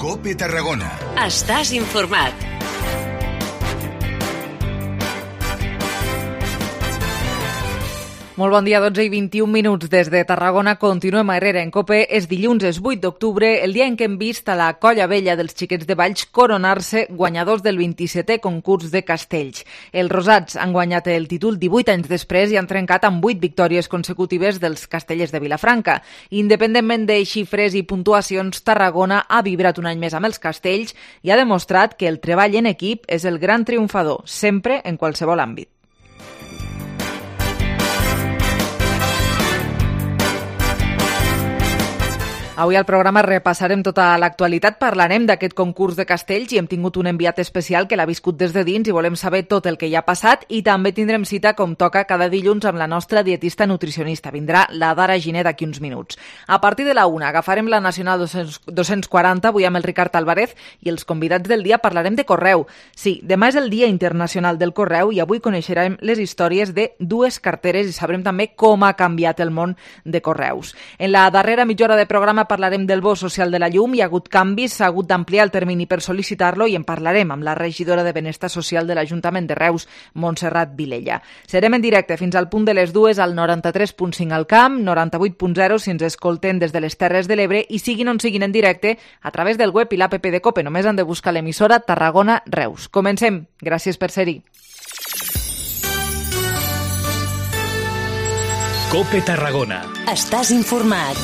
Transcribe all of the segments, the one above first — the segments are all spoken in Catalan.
COPE Tarragona. Estàs informat. Molt bon dia, 12 i 21 minuts des de Tarragona. Continuem a Herrera en COPE. És dilluns, és 8 d'octubre, el dia en què hem vist a la Colla Vella dels Xiquets de Valls coronar-se guanyadors del 27è concurs de castells. Els rosats han guanyat el títol 18 anys després i han trencat amb 8 victòries consecutives dels castellers de Vilafranca. Independentment de xifres i puntuacions, Tarragona ha vibrat un any més amb els castells i ha demostrat que el treball en equip és el gran triomfador, sempre en qualsevol àmbit. Avui al programa repassarem tota l'actualitat, parlarem d'aquest concurs de castells i hem tingut un enviat especial que l'ha viscut des de dins i volem saber tot el que hi ha passat i també tindrem cita com toca cada dilluns amb la nostra dietista nutricionista. Vindrà la Dara Giner d'aquí uns minuts. A partir de la 1 agafarem la Nacional 240, avui amb el Ricard Álvarez i els convidats del dia parlarem de correu. Sí, demà és el Dia Internacional del Correu i avui coneixerem les històries de dues carteres i sabrem també com ha canviat el món de correus. En la darrera mitja hora de programa parlarem del bo social de la llum, hi ha hagut canvis, s'ha hagut d'ampliar el termini per sol·licitar-lo i en parlarem amb la regidora de Benestar Social de l'Ajuntament de Reus, Montserrat Vilella. Serem en directe fins al punt de les 2 al 93.5 al camp, 98.0 si ens escolten des de les Terres de l'Ebre i siguin on siguin en directe a través del web i l'APP de COPE. Només han de buscar l'emissora Tarragona Reus. Comencem. Gràcies per ser-hi. COPE Tarragona. Estàs informat.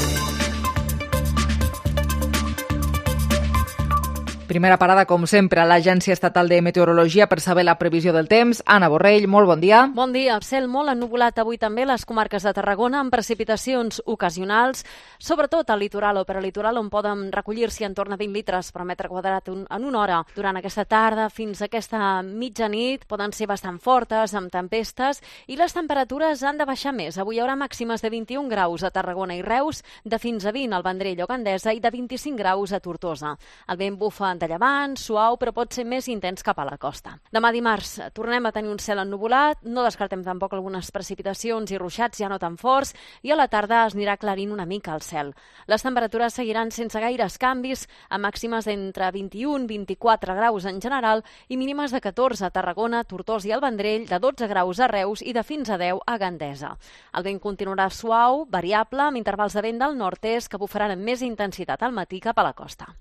Primera parada, com sempre, a l'Agència Estatal de Meteorologia per saber la previsió del temps. Anna Borrell, molt bon dia. Bon dia. Cel molt ennuvolat avui també a les comarques de Tarragona amb precipitacions ocasionals, sobretot al litoral o peralitoral on poden recollir-s'hi en torn a 20 litres per metre quadrat en una hora. Durant aquesta tarda fins a aquesta mitjanit poden ser bastant fortes, amb tempestes, i les temperatures han de baixar més. Avui hi haurà màximes de 21 graus a Tarragona i Reus, de fins a 20 al Vendrell o Gandesa i de 25 graus a Tortosa. El vent bufa de llevant, suau, però pot ser més intens cap a la costa. Demà dimarts tornem a tenir un cel ennuvolat, no descartem tampoc algunes precipitacions i ruixats ja no tan forts, i a la tarda es anirà aclarint una mica el cel. Les temperatures seguiran sense gaires canvis, amb màximes d'entre 21 i 24 graus en general i mínimes de 14 a Tarragona, Tortosa i el Vendrell, de 12 graus a Reus i de fins a 10 a Gandesa. El vent continuarà suau, variable, amb intervals de vent del nord-est que bufaran amb més intensitat al matí cap a la costa.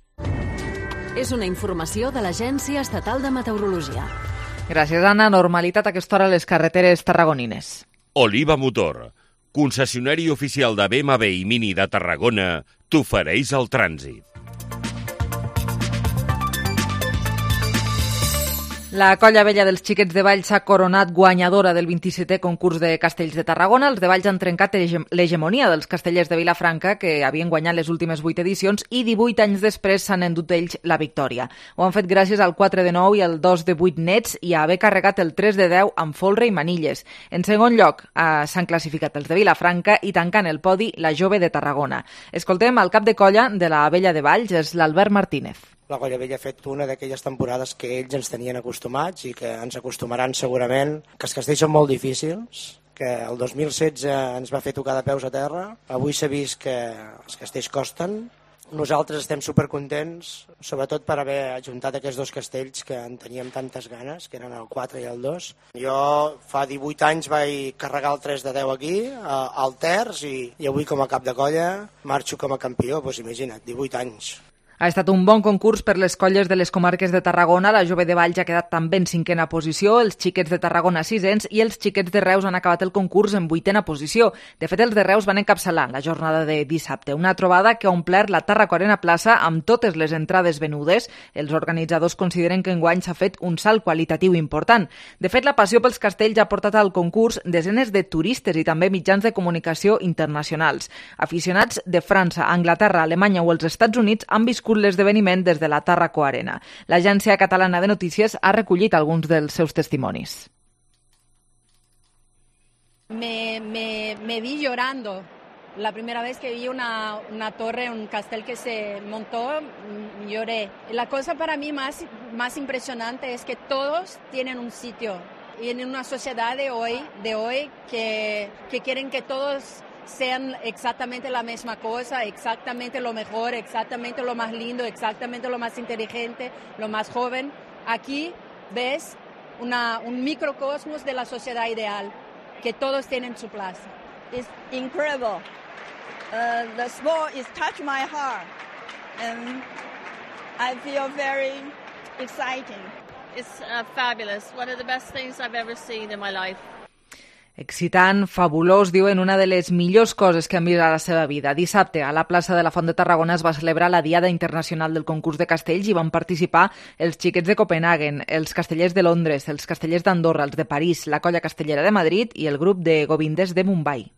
És una informació de l'Agència Estatal de Meteorologia. Gràcies, Anna. Normalitat a aquesta hora a les carreteres tarragonines. Oliva Motor, concessionari oficial de BMW i Mini de Tarragona, t'ofereix el trànsit. La Colla Vella dels Xiquets de Valls s'ha coronat guanyadora del 27è concurs de castells de Tarragona. Els de Valls han trencat l'hegemonia dels castellers de Vilafranca, que havien guanyat les últimes 8 edicions, i 18 anys després s'han endut ells la victòria. Ho han fet gràcies al 4 de 9 i al 2 de 8 nets i a haver carregat el 3 de 10 amb folre i manilles. En segon lloc s'han classificat els de Vilafranca i tancant el podi la Jove de Tarragona. Escoltem el cap de colla de la Vella de Valls, és l'Albert Martínez. La Colla Vella ha fet una d'aquelles temporades que ells ens tenien acostumats i que ens acostumaran segurament, que els castells són molt difícils, que el 2016 ens va fer tocar de peus a terra, avui s'ha vist que els castells costen. Nosaltres estem supercontents, sobretot per haver ajuntat aquests dos castells que en teníem tantes ganes, que eren el 4 i el 2. Jo fa 18 anys vaig carregar el 3 de 10 aquí, al Terç, i avui com a cap de colla marxo com a campió, doncs imagina't, 18 anys. Ha estat un bon concurs per les colles de les comarques de Tarragona. La Jove de Valls ha quedat també en 5a posició, els Xiquets de Tarragona 6ens i els Xiquets de Reus han acabat el concurs en 8a posició. De fet, els de Reus van encapçalar la jornada de dissabte, una trobada que ha omplert la Tarraco-Arena Plaça amb totes les entrades venudes. Els organitzadors consideren que enguany s'ha fet un salt qualitatiu important. De fet, la passió pels castells ha portat al concurs desenes de turistes i també mitjans de comunicació internacionals. Aficionats de França, Anglaterra, Alemanya o els Estats Units han viscut l'esdeveniment des de la Tarraco-Arena. L'Agència Catalana de Notícies ha recollit alguns dels seus testimonis. Me vi llorando. La primera vez que vi una torre, un castel que se montó, lloré. La cosa para mí más impresionante es que todos tienen un sitio. Y en una sociedad de hoy que quieren que todos sean exactamente la misma cosa, exactamente lo mejor, exactamente lo más lindo, exactamente lo más inteligente, lo más joven. Aquí ves un microcosmos de la sociedad ideal, que todos tienen su plaza. It's incredible. The sport is touched my heart, and I feel very exciting. It's fabulous. One of the best things I've ever seen in my life. Excitant, fabulós, diuen, una de les millors coses que han vist a la seva vida. Dissabte, a la plaça de la Font de Tarragona es va celebrar la Diada Internacional del Concurs de Castells i van participar els xiquets de Copenhagen, els castellers de Londres, els castellers d'Andorra, els de París, la Colla Castellera de Madrid i el grup de Govindes de Mumbai.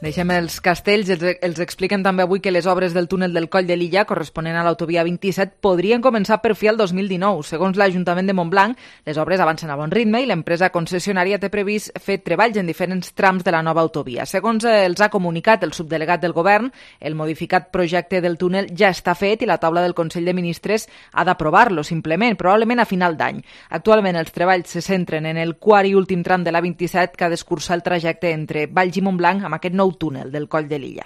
Deixem els castells, els expliquen també avui que les obres del túnel del Coll de Lilla, corresponent a l'autovia 27, podrien començar per fi el 2019. Segons l'Ajuntament de Montblanc, les obres avancen a bon ritme i l'empresa concessionària té previst fer treballs en diferents trams de la nova autovia. Segons els ha comunicat el subdelegat del govern, el modificat projecte del túnel ja està fet i la taula del Consell de Ministres ha d'aprovar-lo, simplement, probablement a final d'any. Actualment els treballs se centren en el quart i últim tram de la 27 que ha d'escurçar el trajecte entre Valls i Montblanc amb aquest nou túnel del Coll de Lilla.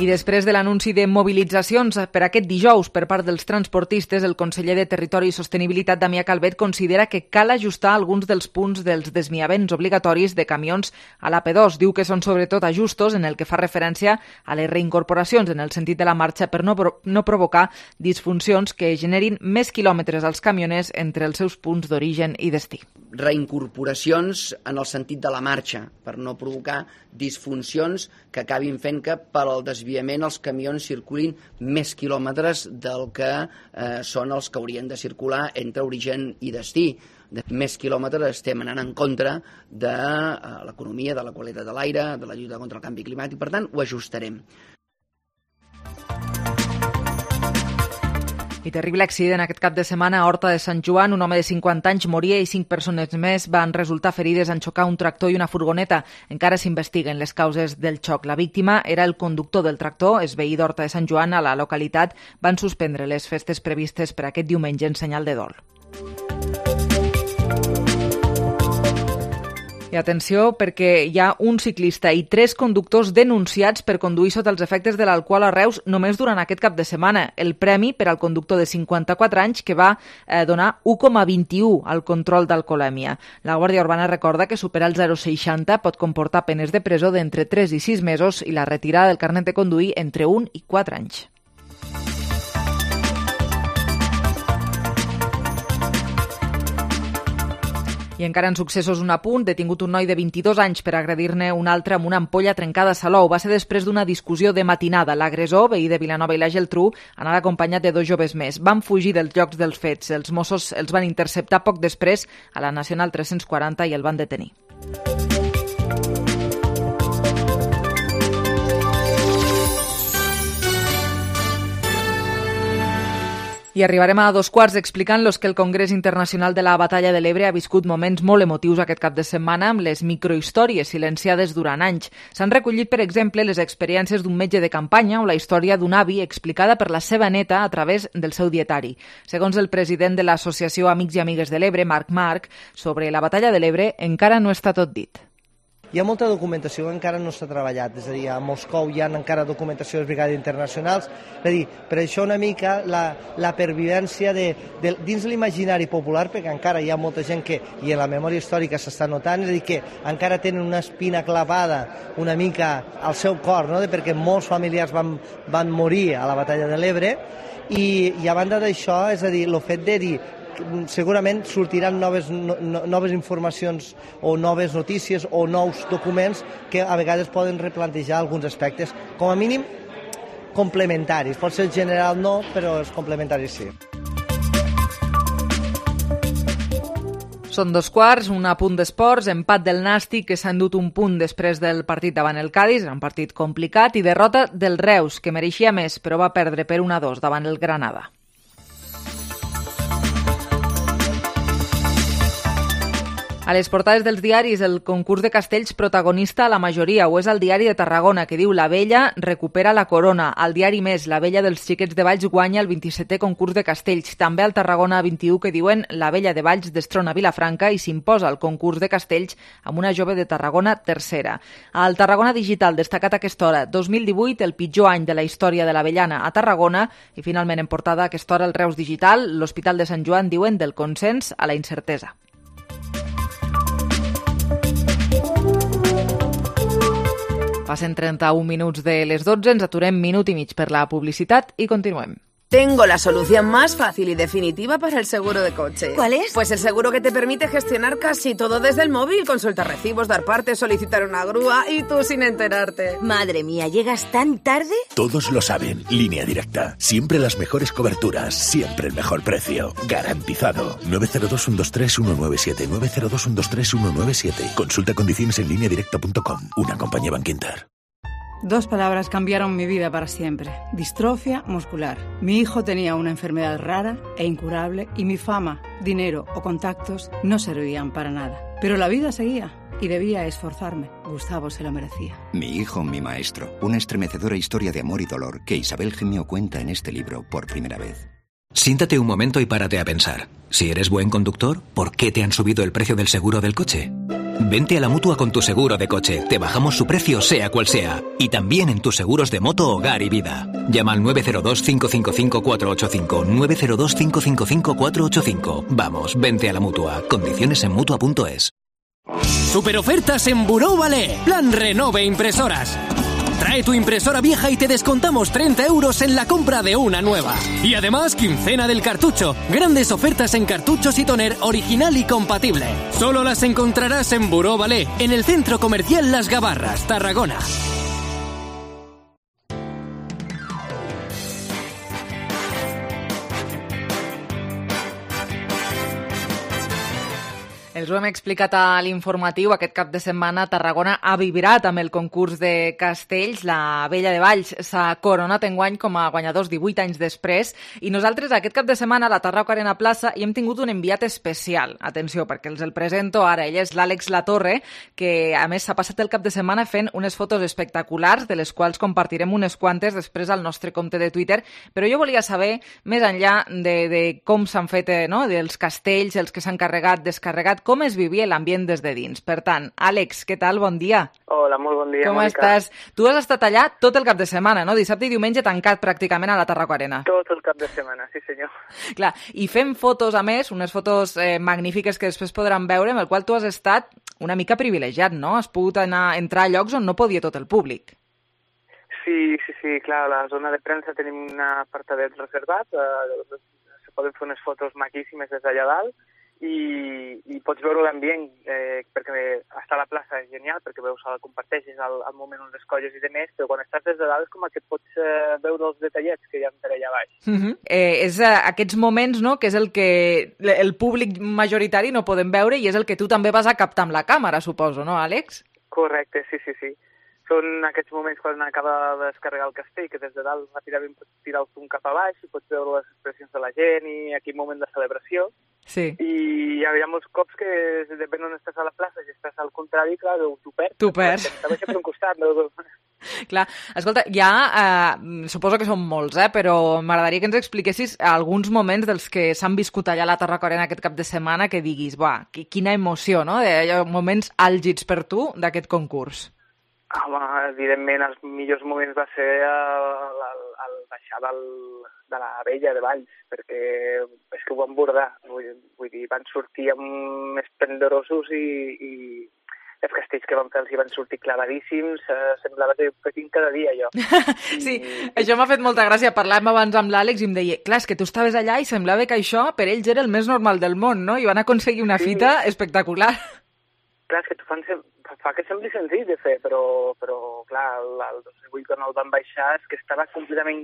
I després de l'anunci de mobilitzacions per aquest dijous per part dels transportistes, el conseller de Territori i Sostenibilitat, Damià Calvet, considera que cal ajustar alguns dels punts dels desviaments obligatoris de camions a l'AP2. Diu que són sobretot ajustos en el que fa referència a les reincorporacions en el sentit de la marxa per no provocar disfuncions que generin més quilòmetres als camioners entre els seus punts d'origen i destí. Reincorporacions en el sentit de la marxa, per no provocar disfuncions que acabin fent que per al desviament els camions circulin més quilòmetres del que són els que haurien de circular entre origen i destí. De més quilòmetres estem anant en contra de l'economia, de la qualitat de l'aire, de la lluita contra el canvi climàtic, per tant ho ajustarem. I terrible accident aquest cap de setmana a Horta de Sant Joan. Un home de 50 anys moria i 5 persones més van resultar ferides en xocar un tractor i una furgoneta. Encara s'investiguen les causes del xoc. La víctima era el conductor del tractor. És veí d'Horta de Sant Joan. A la localitat van suspendre les festes previstes per aquest diumenge en senyal de dol. I atenció, perquè hi ha un ciclista i 3 conductors denunciats per conduir sota els efectes de l'alcohol a Reus només durant aquest cap de setmana. El premi per al conductor de 54 anys que va donar 1,21 al control d'alcoholèmia. La Guàrdia Urbana recorda que superar el 0,60 pot comportar penes de presó d'entre 3 i 6 mesos i la retirada del carnet de conduir entre 1 i 4 anys. I encara en successos un apunt, detingut un noi de 22 anys per agredir-ne un altre amb una ampolla trencada a Salou. Va ser després d'una discussió de matinada. L'agressor, veí de Vilanova i la Geltrú, anava acompanyat de 2 joves més. Van fugir dels llocs dels fets. Els Mossos els van interceptar poc després a la Nacional 340 i el van detenir. I arribarem a 2:15 explicant-los que el Congrés Internacional de la Batalla de l'Ebre ha viscut moments molt emotius aquest cap de setmana amb les microhistòries silenciades durant anys. S'han recollit, per exemple, les experiències d'un metge de campanya o la història d'un avi explicada per la seva neta a través del seu dietari. Segons el president de l'Associació Amics i Amigues de l'Ebre, Marc, sobre la Batalla de l'Ebre encara no està tot dit. Hi ha molta documentació que encara no s'ha treballat, és a dir, a Moscou hi ha encara documentació de les brigades internacionals, és a dir, per això una mica la pervivència dins l'imaginari popular, perquè encara hi ha molta gent que, i en la memòria històrica s'està notant, és a dir, que encara tenen una espina clavada una mica al seu cor, no? Perquè molts familiars van morir a la Batalla de l'Ebre, i a banda d'això, és a dir, el fet de dir segurament sortiran noves informacions o noves notícies o nous documents que a vegades poden replantejar alguns aspectes, com a mínim complementaris. Pot ser general no, però els complementaris sí. Són 2:15, un apunt d'esports, empat del Nàstic que s'ha endut un punt després del partit davant el Cádiz, un partit complicat, i derrota del Reus, que mereixia més, però va perdre per 1-2 davant el Granada. A les portades dels diaris, el concurs de castells protagonista a la majoria, o és el diari de Tarragona, que diu La Vella recupera la corona. Al diari Més, La Vella dels Xiquets de Valls guanya el 27è concurs de castells. També al Tarragona 21, que diuen La Vella de Valls destrona Vilafranca i s'imposa el concurs de castells amb una jove de Tarragona tercera. Al Tarragona Digital, destacat a aquesta hora, 2018, el pitjor any de la història de l'avellana a Tarragona, i finalment en portada a aquesta hora el Reus Digital, l'Hospital de Sant Joan diuen del consens a la incertesa. Passen 31 minuts de les 12, ens aturem minut i mig per la publicitat i continuem. Tengo la solución más fácil y definitiva para el seguro de coche. ¿Cuál es? Pues el seguro que te permite gestionar casi todo desde el móvil, consultar recibos, dar parte, solicitar una grúa y tú sin enterarte. Madre mía, ¿llegas tan tarde? Todos lo saben. Línea Directa. Siempre las mejores coberturas, siempre el mejor precio. Garantizado. 902-123-197. 902-123-197. Consulta condiciones en lineadirecta.com. Una compañía Bankinter. Dos palabras cambiaron mi vida para siempre. Distrofia muscular. Mi hijo tenía una enfermedad rara e incurable y mi fama, dinero o contactos no servían para nada. Pero la vida seguía y debía esforzarme. Gustavo se lo merecía. Mi hijo, mi maestro. Una estremecedora historia de amor y dolor que Isabel Gemio cuenta en este libro por primera vez. Siéntate un momento y párate a pensar. Si eres buen conductor, ¿por qué te han subido el precio del seguro del coche? Vente a la Mutua con tu seguro de coche. Te bajamos su precio sea cual sea. Y también en tus seguros de moto, hogar y vida. Llama al 902-555-485. 902-555-485. Vamos, vente a la Mutua. Condiciones en Mutua.es. Superofertas en Buró Valé. Plan Renove Impresoras. Trae tu impresora vieja y te descontamos 30 € en la compra de una nueva. Y además, quincena del cartucho. Grandes ofertas en cartuchos y toner original y compatible. Solo las encontrarás en Buró Valé, en el Centro Comercial Las Gavarras, Tarragona. Els ho hem explicat a l'informatiu. Aquest cap de setmana Tarragona ha vibrat amb el concurs de castells. La Vella de Valls s'ha coronat enguany com a guanyadors 18 anys després. I nosaltres aquest cap de setmana a la Tarragona Arena Plaça hi hem tingut un enviat especial. Atenció, perquè els el presento ara. Ell és l'Àlex Latorre, que a més s'ha passat el cap de setmana fent unes fotos espectaculars, de les quals compartirem unes quantes després al nostre compte de Twitter. Però jo volia saber, més enllà de com s'han fet, no?, dels castells, els que s'han carregat, descarregat, com es vivia l'ambient des de dins. Per tant, Àlex, què tal? Bon dia. Hola, molt bon dia, com Mònica. estàs? Tu has estat allà tot el cap de setmana, no? Dissabte i diumenge tancat pràcticament a la Tarragona Arena. Tot el cap de setmana, sí senyor. Clar, i fem fotos, a més, unes fotos magnífiques que després podran veure, amb el qual tu has estat una mica privilegiat, no? Has pogut entrar a llocs on no podia tot el públic. Sí, clar, a la zona de premsa tenim un apartadet reservat, se poden fer unes fotos maquíssimes des d'allà dalt, i pots veure l'ambient, perquè estar a la plaça és genial, perquè veus, comparteixes el moment on les colles i demés, però quan estàs des de dalt és com que pots veure els detallets que hi ha per allà baix. És aquests moments, no?, que és el que el públic majoritari no podem veure i és el que tu també vas a captar amb la càmera, suposo, no, Àlex? Correcte, sí. Són aquests moments quan acaba de descarregar el castell, que des de dalt ràpidament pots tirar el zoom cap a baix i pots veure les expressions de la gent i aquell moment de celebració. Sí. I hi ha molts cops que depèn on estàs a la plaça, si estàs al contrari, clar, t'ho perds. T'ho perds. T'ho deixa per un costat. No? Clar, escolta, suposo que són molts, però m'agradaria que ens expliquessis alguns moments dels que s'han viscut allà a la Tarragona Arena aquest cap de setmana que diguis, quina emoció, no? Hi ha moments àlgids per tu d'aquest concurs. Home, evidentment, els millors moments va ser el baixar de la Vella de Valls, perquè és que ho van bordar, vull dir, van sortir més esplendorosos i els castells que van fer els hi van sortir clavadíssims, semblava que petint cada dia, allò. Sí, això m'ha fet molta gràcia. Parlàvem abans amb l'Àlex i em deia, clar, és que tu estaves allà i semblava que això per ells era el més normal del món, no? I van aconseguir una fita espectacular. Clar, és que fa que sembli senzill de fer, però clar, el 2008 quan el van baixar és que estava completament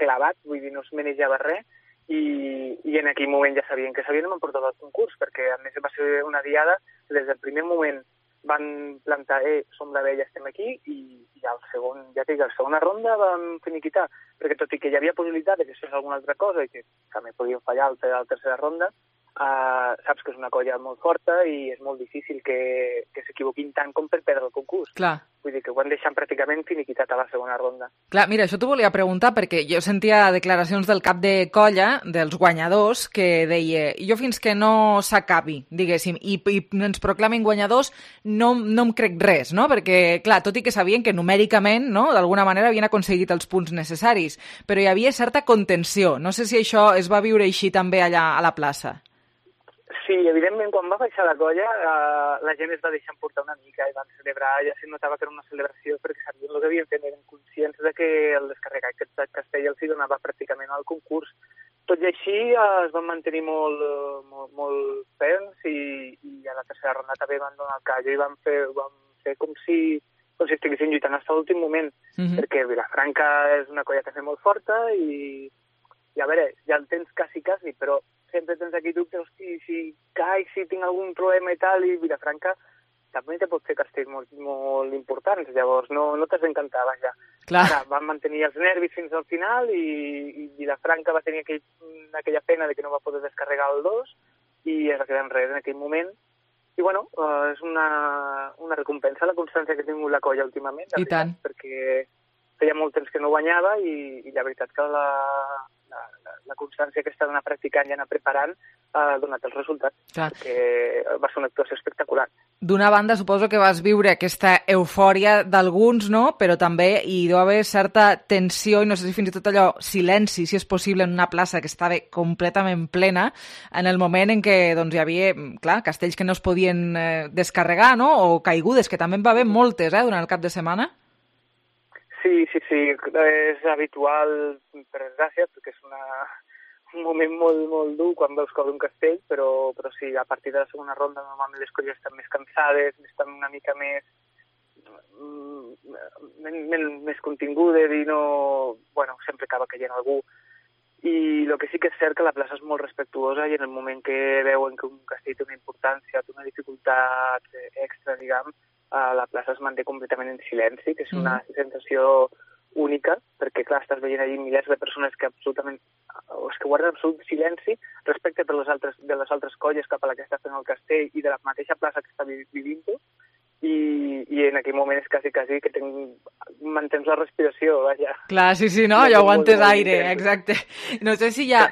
clavat, vull dir, no es manejava res, i en aquell moment ja sabien que s'havien emportat el concurs, perquè a més va ser una diada que des del primer moment van plantar, som la Vella, estem aquí, i al segon, ja dic, a la segona ronda vam finiquitar, perquè tot i que hi havia possibilitat de que fes alguna altra cosa i que també podien fallar a la tercera ronda, saps que és una colla molt forta i és molt difícil que s'equivoquin tant com per perdre el concurs. Clar. Vull dir que ho han deixat pràcticament finiquitat a la segona ronda. Clar, mira, això t'ho volia preguntar perquè jo sentia declaracions del cap de colla, dels guanyadors, que deia jo fins que no s'acabi, diguéssim, i ens proclamin guanyadors no em crec res, no? Perquè, clar, tot i que sabien que numèricament, no?, d'alguna manera havien aconseguit els punts necessaris, però hi havia certa contenció. No sé si això es va viure així també allà a la plaça. Sí, evidentment, quan va baixar la colla, la gent es va deixar emportar una mica i van celebrar, ja se notava que era una celebració perquè sabien el que havien fet, eren conscients de que el descarregat de Castell els hi donava pràcticament al concurs. Tot i així es van mantenir molt ferms i a la tercera ronda també van donar el callo i van fer com si estiguessin lluitant fins a l'últim moment, perquè Vilafranca és una colla també molt forta i a veure, ja el tens quasi, però sempre tens aquí dubtes, hosti, si caic, si tinc algun problema i tal, i Vilafranca també te pot fer castells molt importants, llavors no t'has d'encantar, vaja. Clar. Van mantenir els nervis fins al final i Vilafranca va tenir aquella pena de que no va poder descarregar el 2 i es va quedar enrere en aquell moment. I bueno, és una recompensa la constància que ha tingut la colla últimament, I tant. perquè feia molt temps que no guanyava i la veritat que la constància que està d'anar practicant i anar preparant ha donat els resultats, perquè va ser una actuació espectacular. D'una banda, suposo que vas viure aquesta eufòria d'alguns, no? Però també hi deu haver certa tensió i no sé si fins i tot allò, silenci, si és possible, en una plaça que estava completament plena, en el moment en què doncs, hi havia, clar, castells que no es podien descarregar, no? O caigudes, que també en va haver moltes, durant el cap de setmana. Sí, és habitual, per desgràcia, perquè és un moment molt dur quan veus caure un castell, però sí, a partir de la segona ronda normalment les colles estan més cansades, estan una mica més contingudes i no... Bueno, sempre acaba caient algú. I el que sí que és cert que la plaça és molt respectuosa i en el moment que veuen que un castell té una importància, té una dificultat extra, diguem, la plaça es manté completament en silenci, que és una sensació única, perquè, clar, estàs veient allí milers de persones que absolutament, és que guarden absolut silenci respecte de les altres colles cap a la que està fent el castell i de la mateixa plaça que està vivint-ho, i en aquell moment és quasi que mantens la respiració, vaja. Clar, sí, no, ja aguantes aire, exacte. No sé si ja...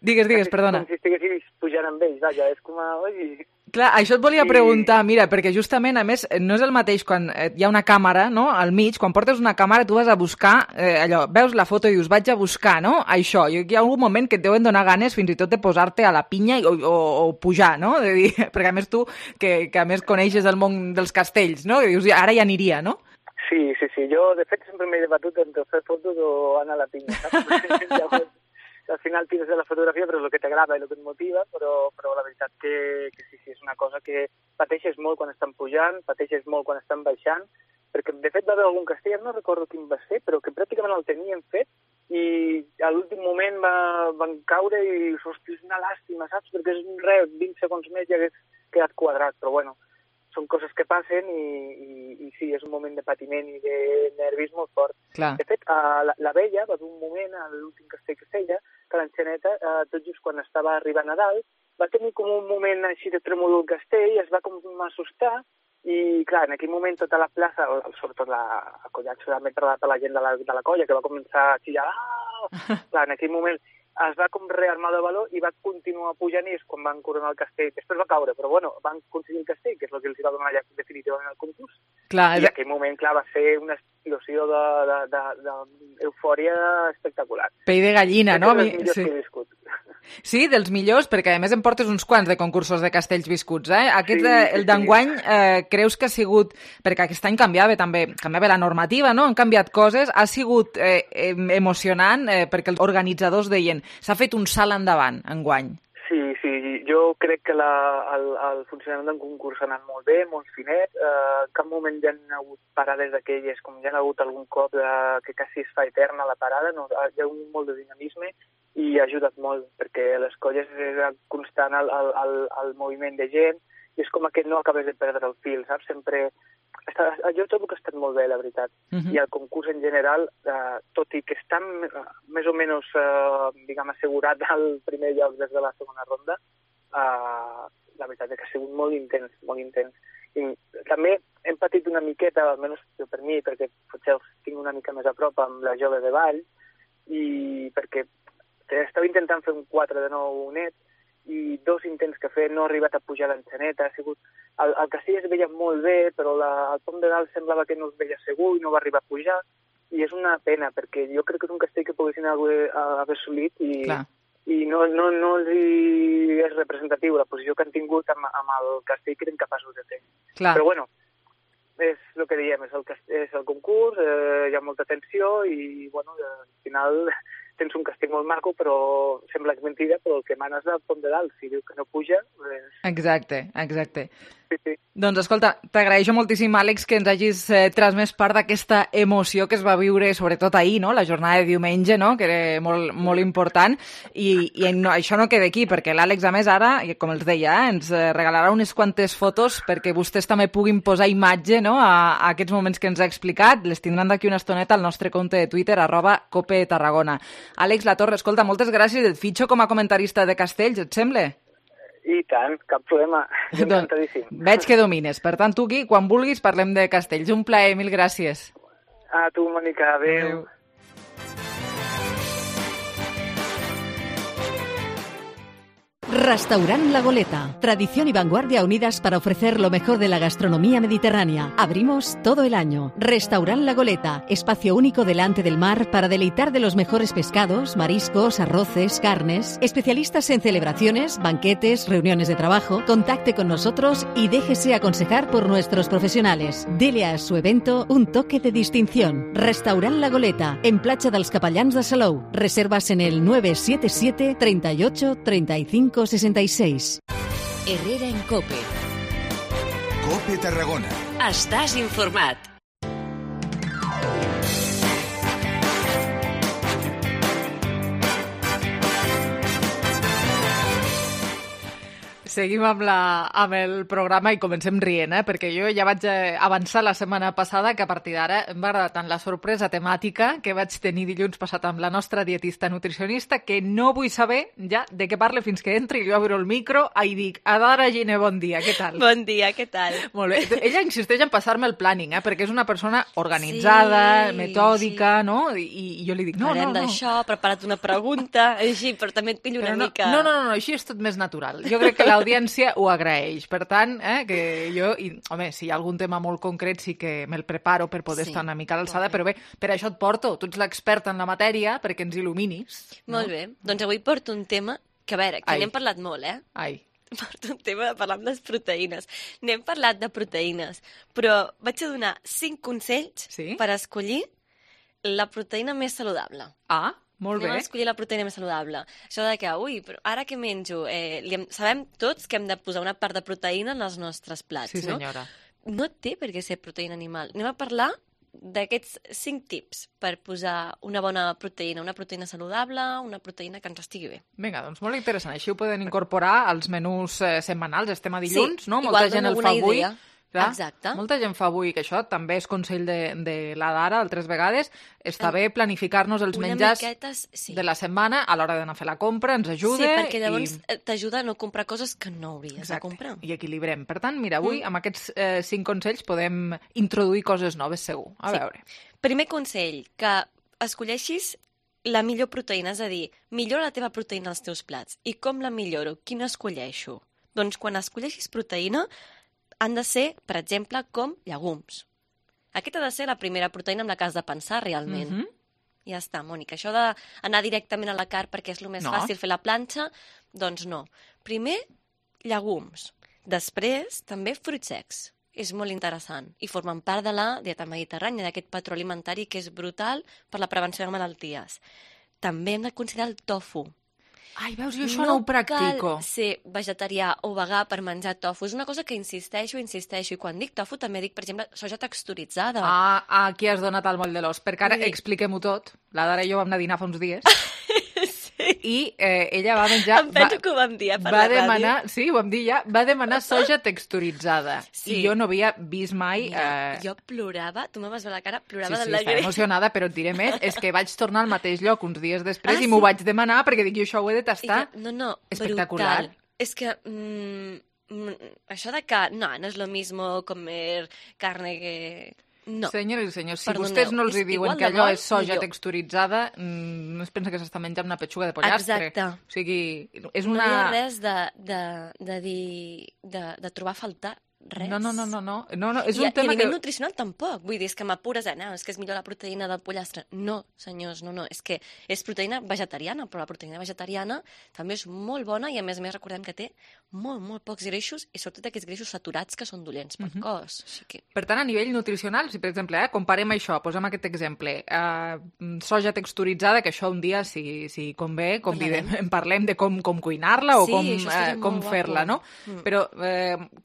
Digues, perdona. Com si estiguessis pujant amb ells, vaja, és com a... Clar, això et volia preguntar, mira, perquè justament, a més, no és el mateix quan hi ha una càmera, no?, al mig, quan portes una càmera tu vas a buscar, allò, veus la foto i dius, vaig a buscar, no?, això, hi ha algun moment que et deuen donar ganes fins i tot de posar-te a la pinya o pujar, no?, de dir, perquè a més tu, que a més coneixes el món dels castells, no?, que dius, ara ja aniria, no? Sí, jo de fet sempre m'he debatut entre fer fotos o anar a la pinya, saps? Llavors, al final tires de la fotografia, però és el que t'agrada i el que et motiva, però la veritat que sí, és una cosa que pateixes molt quan estan pujant, pateixes molt quan estan baixant, perquè de fet va haver algun castell, no recordo quin va ser, però que pràcticament el tenien fet i a l'últim moment van caure i, hosti, és una làstima, saps? Perquè és 20 segons més i hagués quedat quadrat, però bueno, són coses que passen i sí, és un moment de patiment i de nervis molt fort. Clar. De fet, la Vella va d'un moment, a l'últim castell que feia, que l'Enxaneta, tot just quan estava arribant a dalt, va tenir com un moment així de tremolor al castell, es va com assustar i, clar, en aquell moment tota la plaça, sobretot la colla, m'he parlat a la gent de la colla, que va començar a xillar, clar, en aquell moment es va com rearmar de valor i va continuar pujant i és quan van coronar el castell. Després va caure, però bueno, van aconseguir el castell, que és el que els va donar ja definitivament el concurs. Clar, I en aquell moment, clar, va ser una explosió d'eufòria espectacular. Pell de gallina, no? És dels millors que he viscut. Sí, dels millors, perquè a més em portes uns quants de concursos de castells viscuts, Aquest, el d'enguany, creus que ha sigut... Perquè aquest any canviava la normativa, no? Han canviat coses, ha sigut emocionant, perquè els organitzadors deien s'ha fet un salt endavant, enguany. Sí, jo crec que el funcionament del concurs ha anat molt bé, molt finet. En cap moment hi ha hagut parades d'aquelles, com hi ha hagut algun cop que quasi es fa eterna la parada, no? Hi ha hagut molt de dinamisme i ha ajudat molt, perquè les colles és constant el moviment de gent i és com que no acabes de perdre el fil, saps? Sempre jo trobo que ha estat molt bé, la veritat. I el concurs en general, tot i que està més o menys, diguem, assegurat al primer lloc des de la segona ronda, la veritat és que ha sigut molt intens, molt intens. I també hem patit una miqueta, almenys per mi, perquè potser els tinc una mica més a prop amb la Jove de Vall, i perquè estava intentant fer un 4 de 9 net, i 2 intents que he fet no he arribat a pujar l'enxaneta, ha sigut... El castell es veia molt bé, però el pom de dalt semblava que no es veia segur i no va arribar a pujar, i és una pena, perquè jo crec que és un castell que poguessin haver assolit i no els és representatiu la posició que han tingut amb el castell que eren capaços de fer. Però bueno, és el que diem, és el concurs, hi ha molta tensió i bueno, al final tens un castell molt maco, però sembla que és mentida, però el que mana és el pom de dalt. Si diu que no puja... Exacte. Sí. Doncs escolta, t'agraeixo moltíssim, Àlex, que ens hagis transmès part d'aquesta emoció que es va viure, sobretot ahir, no? La jornada de diumenge, no? Que era molt, molt important. I no, això no queda aquí, perquè l'Àlex, a més, ara, com els deia, ens regalarà unes quantes fotos perquè vostès també puguin posar imatge, no? a aquests moments que ens ha explicat. Les tindran d'aquí una estoneta al nostre compte de Twitter, @copetarragona. Àlex Latorre, escolta, moltes gràcies. Et fitxo com a comentarista de castells, et sembla? I tant, cap problema. Encantadíssim. Veig que domines. Per tant, tu aquí, quan vulguis, parlem de castells. Un plaer, mil gràcies. A tu, Mònica. Adéu. Restaurant La Goleta. Tradición y vanguardia unidas para ofrecer lo mejor de la gastronomía mediterránea. Abrimos todo el año. Restaurant La Goleta. Espacio único delante del mar para deleitar de los mejores pescados, mariscos, arroces, carnes. Especialistas en celebraciones, banquetes, reuniones de trabajo. Contacte con nosotros y déjese aconsejar por nuestros profesionales. Dele a su evento un toque de distinción. Restaurant La Goleta. En Platja dels Capellans de Salou. Reservas en el 977 38 35 66. Herrera en COPE. COPE Tarragona. Estàs informat. Seguim amb el programa i comencem rient, perquè jo ja vaig avançar la setmana passada que a partir d'ara em va agradar tant la sorpresa temàtica que vaig tenir dilluns passat amb la nostra dietista nutricionista que no vull saber ja de què parle fins que entri i jo obro el micro i dic, Adara Gine, bon dia, què tal? Bon dia, què tal? Molt bé. Ella insisteix en passar-me el planning, perquè és una persona organitzada, metòdica, no? I jo li dic, no. Parlem d'això, prepara't una pregunta, així, però també et pillo una mica... No, així és tot més natural. Jo crec que l'audiència ho agraeix. Per tant, que jo... Home, si hi ha algun tema molt concret sí que me'l preparo per poder estar una mica a l'alçada, però bé, per això et porto. Tu ets l'experta en la matèria perquè ens il·luminis. Molt bé. Doncs avui porto un tema que, a veure, que n'hem parlat molt, Porto un tema de parlar amb les proteïnes. N'hem parlat de proteïnes, però vaig a donar 5 consells per escollir la proteïna més saludable. Molt bé. Anem a escollir la proteïna més saludable. Això de que, però ara que menjo? Sabem tots que hem de posar una part de proteïna en els nostres plats, no? Sí, senyora. No té per què ser proteïna animal. Anem a parlar d'aquests 5 tips per posar una bona proteïna, una proteïna saludable, una proteïna que ens estigui bé. Vinga, doncs molt interessant. Així ho poden incorporar als menús setmanals. Estem a dilluns, no? Molta gent el fa avui. Clar, exacte. Molta gent fa avui que això també és consell de la Dara altres vegades. Està bé planificar-nos els menjars de la setmana a l'hora d'anar a fer la compra, ens ajuda. Sí, perquè llavors t'ajuda a no comprar coses que no hauries de comprar. I equilibrem. Per tant, mira, avui amb aquests 5 consells podem introduir coses noves segur. A veure. Primer consell, que escolleixis la millor proteïna, és a dir, millora la teva proteïna als teus plats. I com la milloro? Quina escolleixo? Doncs quan escolleixis proteïna han de ser, per exemple, com llegums. Aquesta ha de ser la primera proteïna amb la que has de pensar realment. Ja està, Mònica. Això d'anar directament a la carn perquè és el més fàcil fer la planxa, doncs no. Primer, llegums. Després, també fruits secs. És molt interessant. I formen part de la dieta mediterrània, d'aquest patró alimentari que és brutal per la prevenció de malalties. També hem de considerar el tofu. Ai, veus, jo això no ho practico. No cal ser vegetarià o vegà per menjar tofu. És una cosa que insisteixo. I quan dic tofu també dic, per exemple, soja texturitzada. Aquí has donat el moll de l'os. Perquè ara expliquem-ho tot. La Dara i jo vam anar a dinar fa uns dies. Sí. i ella va menjar... Em penso que ho vam dir, per la demanar, ràdio. sí, ho vam dir ja, va demanar soja texturitzada. Sí. I jo no havia vist mai... Mira, jo plorava, tu me vas veure la cara, plorava Sí, d'alegria. estava emocionada, però et diré més, és que vaig tornar al mateix lloc uns dies després i m'ho vaig demanar perquè dic, jo això ho he de tastar. No, espectacular. brutal. És que això de que no és lo mismo comer carne que... No. Senyores i senyors, si Perdoneu, vostès no els és diuen igual que de allò bo, és soja millor. texturitzada, no es pensa que s'està menjant una petxuga de pollastre. Exacte. O sigui, és No una... hi ha res de dir... de trobar a faltar res. No, és un I a tema nivell que... nutricional tampoc. Vull dir, és que m'apures no, és que és millor la proteïna del pollastre. No, senyors, no. És que és proteïna vegetariana, però la proteïna vegetariana també és molt bona i, a més recordem que té molt pocs greixos i sobretot aquests greixos saturats que són dolents pel cos. Així que... Per tant, a nivell nutricional, si per exemple, comparem això, posem aquest exemple, soja texturitzada, que això un dia, si convé, en parlem de com cuinar-la o com fer-la, no? Però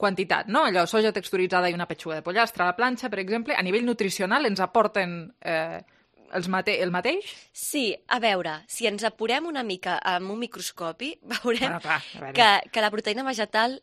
quantitat, no? Allò, soja texturitzada i una petxuga de pollastre a la planxa, per exemple, a nivell nutricional ens aporten el mateix? Sí, a veure, si ens apurem una mica amb un microscopi, veurem clar, que la proteïna vegetal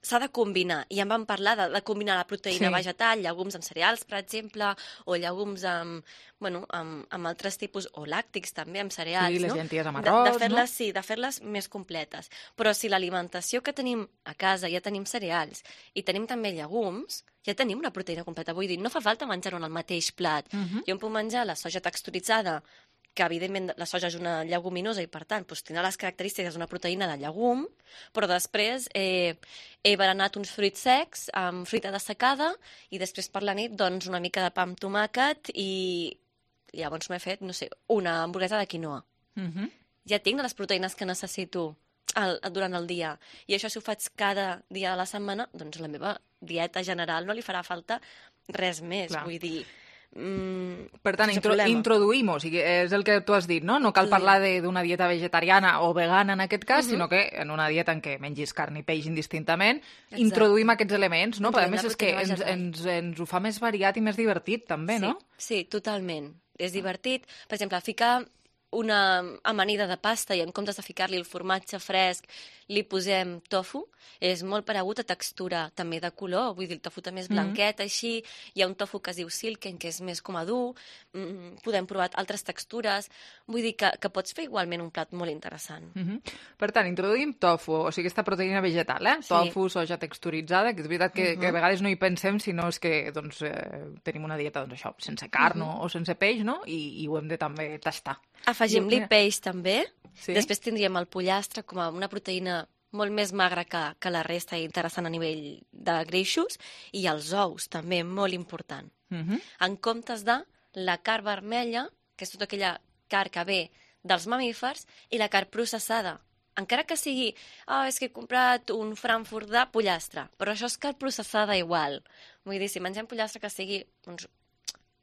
s'ha de combinar. I en vam parlar de combinar la proteïna vegetal, llegums en cereals, per exemple, o llegums amb altres tipus, o làctics també, amb cereals. Sí, les llenties amb arròs, no? Sí, de fer-les més completes. Però si l'alimentació que tenim a casa ja tenim cereals i tenim també llegums, ja tenim una proteïna completa. Vull dir, no fa falta menjar-ho en el mateix plat. Jo em puc menjar la soja texturitzada, que evidentment la soja és una lleguminosa i per tant tindrà les característiques d'una proteïna de llegum, però després he berenat uns fruits secs amb fruita dessecada i després per la nit doncs una mica de pa amb tomàquet i llavors m'he fet, no sé, una hamburguesa de quinoa. Ja tinc les proteïnes que necessito durant el dia. I això si ho faig cada dia de la setmana, doncs la meva dieta general no li farà falta res més. Vull dir... Per tant, introduïm, o sigui, és el que tu has dit, no? No cal parlar d'una dieta vegetariana o vegana en aquest cas, sinó que en una dieta en què mengis carn i peix indistintament, introduïm aquests elements, no? Però a més és que ens ho fa més variat i més divertit, també, no? Sí, totalment. És divertit. Per exemple, ficar una amanida de pasta i en comptes de ficar-li el formatge fresc li posem tofu, és molt paregut a textura també de color, vull dir, el tofu també és blanquet, així, hi ha un tofu que es diu silken, que és més com a dur, podem provar altres textures, vull dir que pots fer igualment un plat molt interessant. Per tant, introduïm tofu, o sigui, aquesta proteïna vegetal, tofu, soja texturitzada, que és veritat que a vegades no hi pensem, sinó és que tenim una dieta, això, sense carn o sense peix, no? I ho hem de també tastar. Afegim-li peix també, després tindríem el pollastre com a una proteïna molt més magra que la resta i interessant a nivell de greixos, i els ous també, molt important. En comptes de la carn vermella, que és tota aquella carn que ve dels mamífers, i la carn processada. Encara que sigui, és que he comprat un Frankfurt de pollastre, però això és carn processada igual. Vull dir, si mengem pollastre que sigui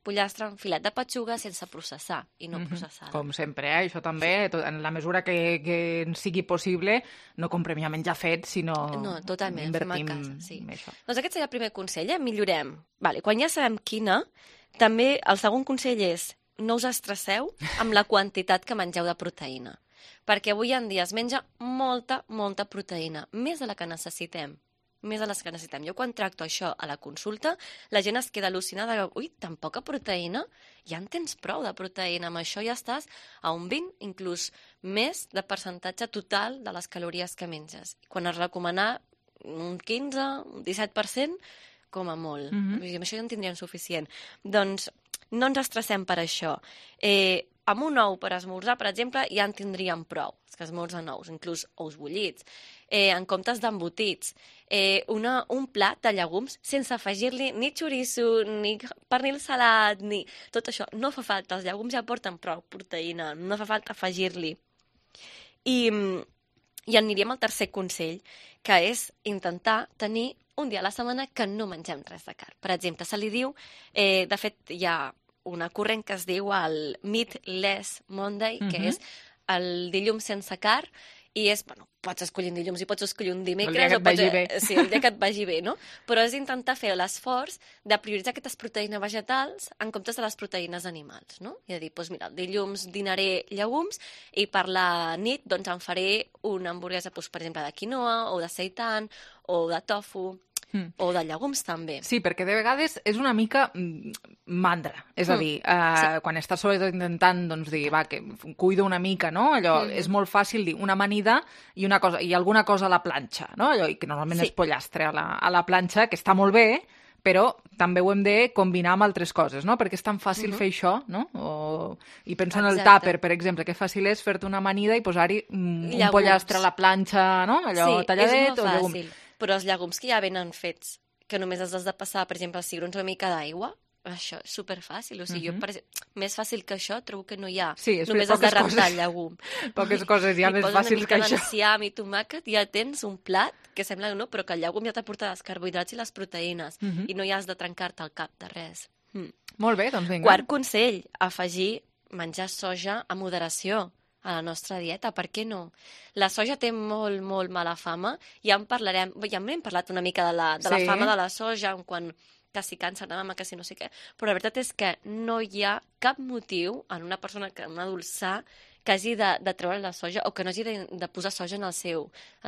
pollastre en filet de petxuga sense processar i no processada. Com sempre, això també, en la mesura que ens sigui possible, no comprem ja menjar fet, sinó invertim en això. Doncs aquest seria el primer consell, millorem. Quan ja sabem quina, també el segon consell és no us estresseu amb la quantitat que mengeu de proteïna, perquè avui en dia es menja molta proteïna, més de la que necessitem. Jo quan tracto això a la consulta, la gent es queda al·lucinada, ui, tan poca proteïna? Ja en tens prou de proteïna, amb això ja estàs a un 20, inclús més de percentatge total de les calories que menges. Quan es recomana un 15, un 17%, com a molt. Amb això ja en tindríem suficient. Doncs no ens estressem per això. Amb un ou per esmorzar, per exemple, ja en tindríem prou, els que esmorzen ous, inclús ous bullits. En comptes d'embotits, un plat de llegums sense afegir-li ni xoriço, ni pernil salat, ni tot això. No fa falta, els llegums ja porten prou proteïna, no fa falta afegir-li. I aniríem al tercer consell, que és intentar tenir un dia a la setmana que no mengem res de carn. Per exemple, se li diu, de fet hi ha una corrent que es diu el Meatless Monday, que és el dilluns sense carn, I és, bueno, pots escollir un dilluns i pots escollir un dimecres. El dia que et vagi bé. Sí, el dia que et vagi bé, no? Però és intentar fer l'esforç de prioritzar aquestes proteïnes vegetals en comptes de les proteïnes animals, no? I de dir, doncs mira, el dilluns dinaré llegums i per la nit doncs em faré una hamburguesa, doncs, per exemple, de quinoa o de seitan o de tofu o de llegums també. Sí, perquè de vegades és una mica mandra. És a dir, quan estàs sobretot intentant doncs, dir, va, que cuido una mica, no? Allò, és molt fàcil dir una amanida i alguna cosa a la planxa, no? Allò, i que normalment és pollastre a la planxa, que està molt bé, però també ho hem de combinar amb altres coses, no? Perquè és tan fàcil fer això, no? I penso en el tàper, per exemple, que fàcil és fer-te una amanida i posar-hi un pollastre a la planxa, no? Allò talladet o llegum. Però els llegums que ja venen fets, que només els has de passar, per exemple, als cigrons una mica d'aigua, això és superfàcil. O sigui, més fàcil que això trobo que no hi ha. Sí, només has de rentar el llegum. Poques coses ja més fàcils que això. I poses una mica d'enciam i tomàquet i ja tens un plat que sembla que no, però que el llegum ja t'aporta els carbohidrats i les proteïnes i no hi has de trencar-te el cap de res. Molt bé, doncs vinga. Quart consell, afegir menjar soja a moderació a la nostra dieta, per què no? La soja té molt, molt mala fama, ja n'hem parlat una mica de la fama de la soja, quan que si càncer de mama, que si no sé què, però la veritat és que no hi ha cap motiu en una persona, un adult sa, que hagi de treure la soja o que no hagi de posar soja en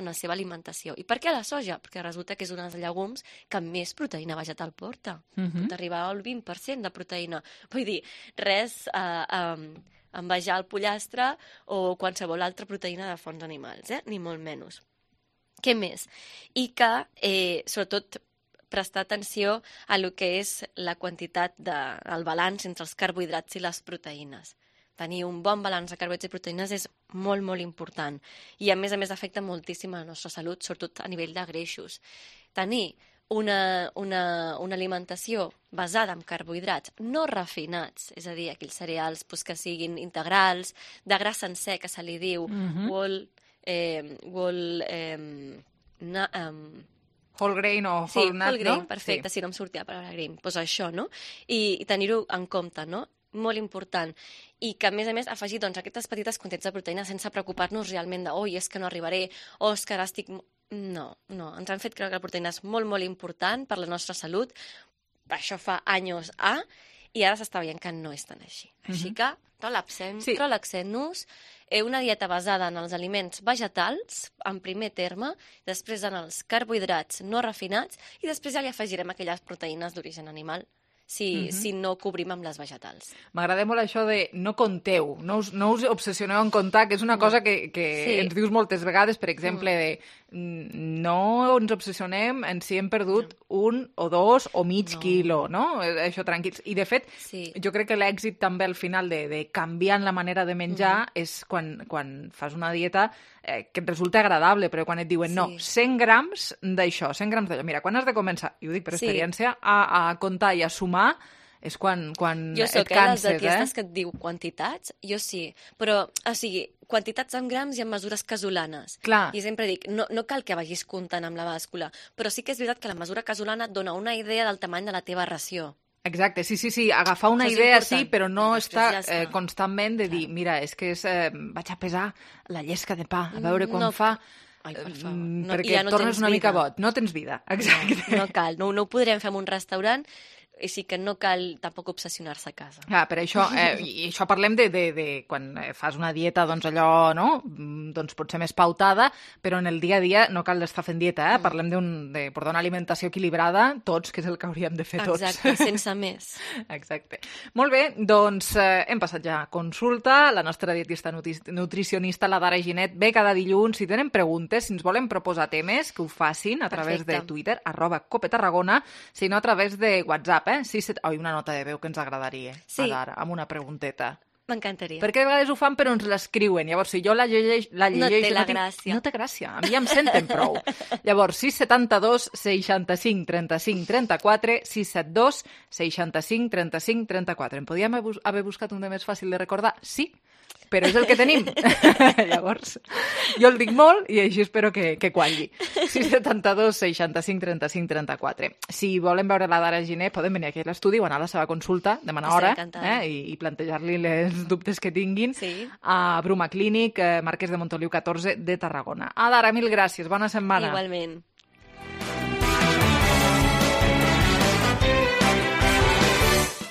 la seva alimentació. I per què la soja? Perquè resulta que és un dels llegums que més proteïna vegetal porta. Pot arribar al 20% de proteïna. Vull dir, res envejar el pollastre o qualsevol altra proteïna de fonts animals, ni molt menys. Què més? I que, sobretot, prestar atenció a lo que és la quantitat el balanç entre els carbohidrats i les proteïnes. Tenir un bon balanç de carbohidrats i proteïnes és molt, molt important. I, a més, afecta moltíssim a la nostra salut, sobretot a nivell de greixos. Tenir una alimentació basada en carbohidrats no refinats, és a dir, aquells cereals que siguin integrals, de gra sencer, que se li diu, whole grain o whole nut, whole grain, no? perfecte, si no em sortia la paraula grain. Doncs això, no? I tenir-ho en compte, no? Molt important. I que, a més, afegir aquestes petites quantitats de proteïna sense preocupar-nos realment de oi, és que no arribaré, o és que ara estic... No, ens han fet creure que la proteïna és molt, molt important per la nostra salut. Això fa anys i ara s'està veient que no és tan així. Així que relaxem-nos, una dieta basada en els aliments vegetals, en primer terme, després en els carbohidrats no refinats i després ja li afegirem aquelles proteïnes d'origen animal si no cobrim amb les vegetals. M'agrada molt això de no compteu, no us obsessioneu en comptar, que és una cosa que ens dius moltes vegades, per exemple, de no ens obsessionem en si hem perdut 1 o 2 o mig quilo, no? Això tranquils. I, de fet, jo crec que l'èxit també al final de canviar la manera de menjar és quan fas una dieta que et resulta agradable, però quan et diuen no, 100 grams d'això, 100 grams d'allò. Mira, quan has de començar, i ho dic per experiència, a comptar i a sumar és quan et canses, Jo soc les dietistes que et diu quantitats, jo sí, però, o sigui, quantitats en grams i en mesures casolanes. Clar. I sempre dic, no cal que vagis comptant amb la bàscula, però sí que és veritat que la mesura casolana et dona una idea del tamany de la teva ració. Exacte, sí, agafar una idea sí, però no estar constantment de dir, mira, és que vaig a pesar la llesca de pa, a veure quan fa... Ai, per favor. Perquè tornes una mica boig, no tens vida. Exacte. No cal, no ho podrem fer en un restaurant, i sí que no cal tampoc obsessionar-se a casa. Per això, i això parlem de quan fas una dieta, doncs allò, no? Doncs pot ser més pautada, però en el dia a dia no cal estar fent dieta, Parlem de portar una alimentació equilibrada, tots, que és el que hauríem de fer tots. Exacte, sense més. Exacte. Molt bé, doncs hem passat ja a consulta. La nostra dietista nutricionista, la Dara Ginet, ve cada dilluns. Si tenen preguntes, si ens volen proposar temes, que ho facin a través de Twitter, @copetarragona, si no a través de WhatsApp, una nota de veu que ens agradaria, ara, amb una pregunteta. M'encantaria. Perquè de vegades ho fan però ens l'escriuen. Llavors, si jo la llegeixo... No té la gràcia. No té gràcia. A mi ja em senten prou. Llavors, 672 65 35 34, 672 65 35 34. Em podíem haver buscat un de més fàcil de recordar? Sí, però és el que tenim. Llavors, jo el dic molt i així espero que qualli. 672 65 35 34. Si volen veure la Dara Giner, poden venir aquí a l'estudi o anar a la seva consulta, demanar hora i plantejar-li els dubtes que tinguin a Bruma Clínic, Marquès de Montoliu 14 de Tarragona. Dara, mil gràcies. Bona setmana. Igualment.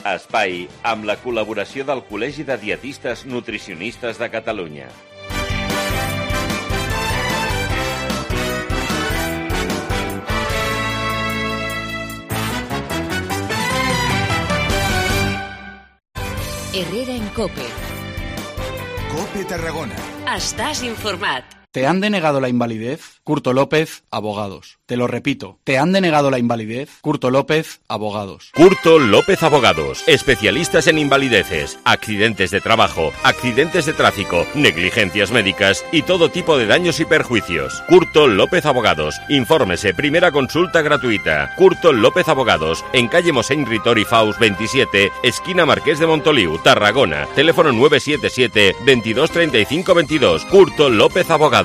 Espai, amb la col·laboració del Col·legi de Dietistes Nutricionistes de Catalunya. Herrera en COPE. COPE Tarragona. Estàs informat. ¿Te han denegado la invalidez? Curto López, Abogados. Te lo repito. ¿Te han denegado la invalidez? Curto López, Abogados. Curto López Abogados. Especialistas en invalideces, accidentes de trabajo, accidentes de tráfico, negligencias médicas y todo tipo de daños y perjuicios. Curto López Abogados. Infórmese, primera consulta gratuita. Curto López Abogados. En calle Mosén Ritor y Faus 27, esquina Marqués de Montoliu, Tarragona. Teléfono 977 22 35 22. Curto López Abogados.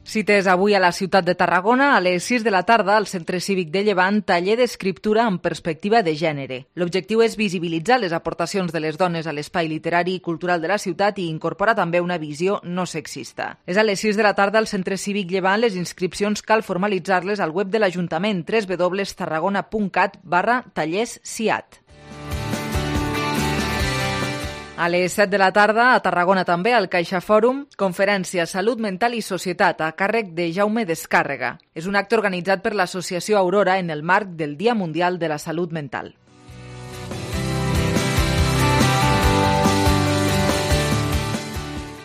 Cites avui a la ciutat de Tarragona a les 6 de la tarda al Centre Cívic de Llevant, taller d'escriptura amb perspectiva de gènere. L'objectiu és visibilitzar les aportacions de les dones a l'espai literari i cultural de la ciutat i incorporar també una visió no sexista. És a les 6 de la tarda al Centre Cívic Llevant. Les inscripcions cal formalitzar-les al web de l'Ajuntament www.tarragona.cat/tallers-ciat. A les 7 de la tarda, a Tarragona també, al Caixa Fòrum, conferència Salut Mental i Societat a càrrec de Jaume Descàrrega. És un acte organitzat per l'Associació Aurora en el marc del Dia Mundial de la Salut Mental.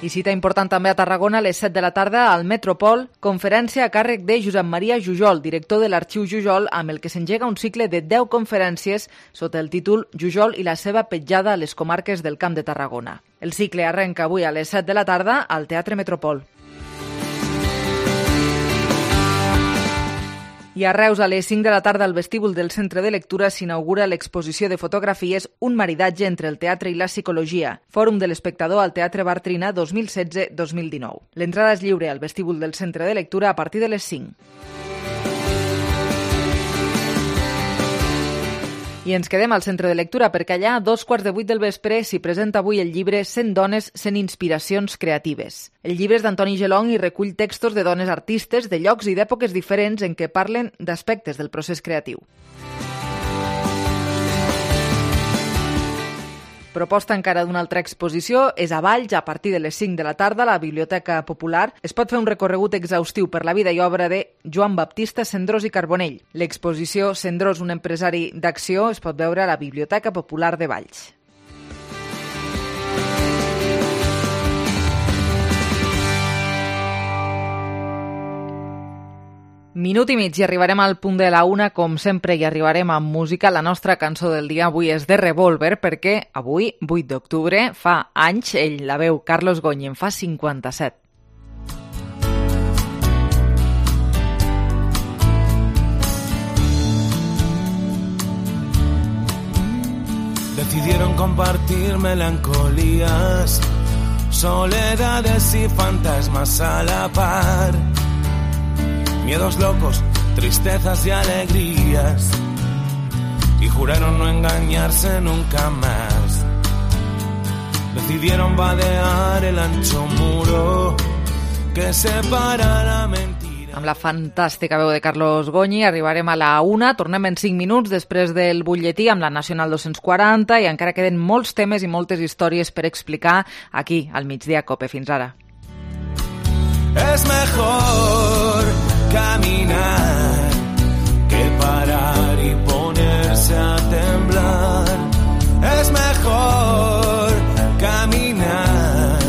I cita important també a Tarragona a les 7 de la tarda al Metropol, conferència a càrrec de Josep Maria Jujol, director de l'Arxiu Jujol, amb el que s'engega un cicle de 10 conferències sota el títol Jujol i la seva petjada a les comarques del Camp de Tarragona. El cicle arrenca avui a les 7 de la tarda al Teatre Metropol. I a Reus, a les 5 de la tarda, al vestíbul del Centre de Lectura s'inaugura l'exposició de fotografies Un maridatge entre el teatre i la psicologia, Fòrum de l'Espectador al Teatre Bartrina 2016-2019. L'entrada és lliure al vestíbul del Centre de Lectura a partir de les 5. I ens quedem al Centre de Lectura perquè allà, a 7:45 del vespre, s'hi presenta avui el llibre 100 dones, 100 inspiracions creatives. El llibre és d'Antoni Gelong i recull textos de dones artistes de llocs i d'èpoques diferents en què parlen d'aspectes del procés creatiu. Proposta encara d'una altra exposició és a Valls, a partir de les 5 de la tarda, a la Biblioteca Popular. Es pot fer un recorregut exhaustiu per la vida i obra de Joan Baptista Cendrós i Carbonell. L'exposició Cendrós, un empresari d'acció, es pot veure a la Biblioteca Popular de Valls. Minut i mig i arribarem al punt de la 1, com sempre, i arribarem amb música. La nostra cançó del dia avui és de Revolver, perquè avui, 8 d'octubre, fa anys, ell la veu Carlos Goñi, en fa 57. Decidieron compartir melancolías, soledades y fantasmas a la par. Miedos locos, tristezas y alegrías, y juraron no engañarse nunca más. Decidieron vadear el ancho muro que separa la mentira. Amb la fantàstica veu de Carlos Goñi arribarem a la 1, tornem en 5 minuts després del butlletí amb la Nacional 240 i encara queden molts temes i moltes històries per explicar aquí, al Migdia Cope. Fins ara. Es mejor caminar que parar y ponerse a temblar. Es mejor caminar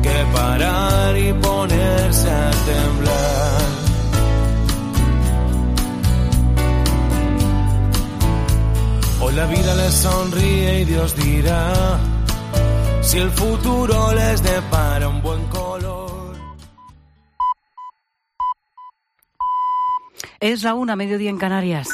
que parar y ponerse a temblar. Hoy la vida les sonríe y Dios dirá si el futuro les depara un buen color. Es la 1, mediodía en Canarias.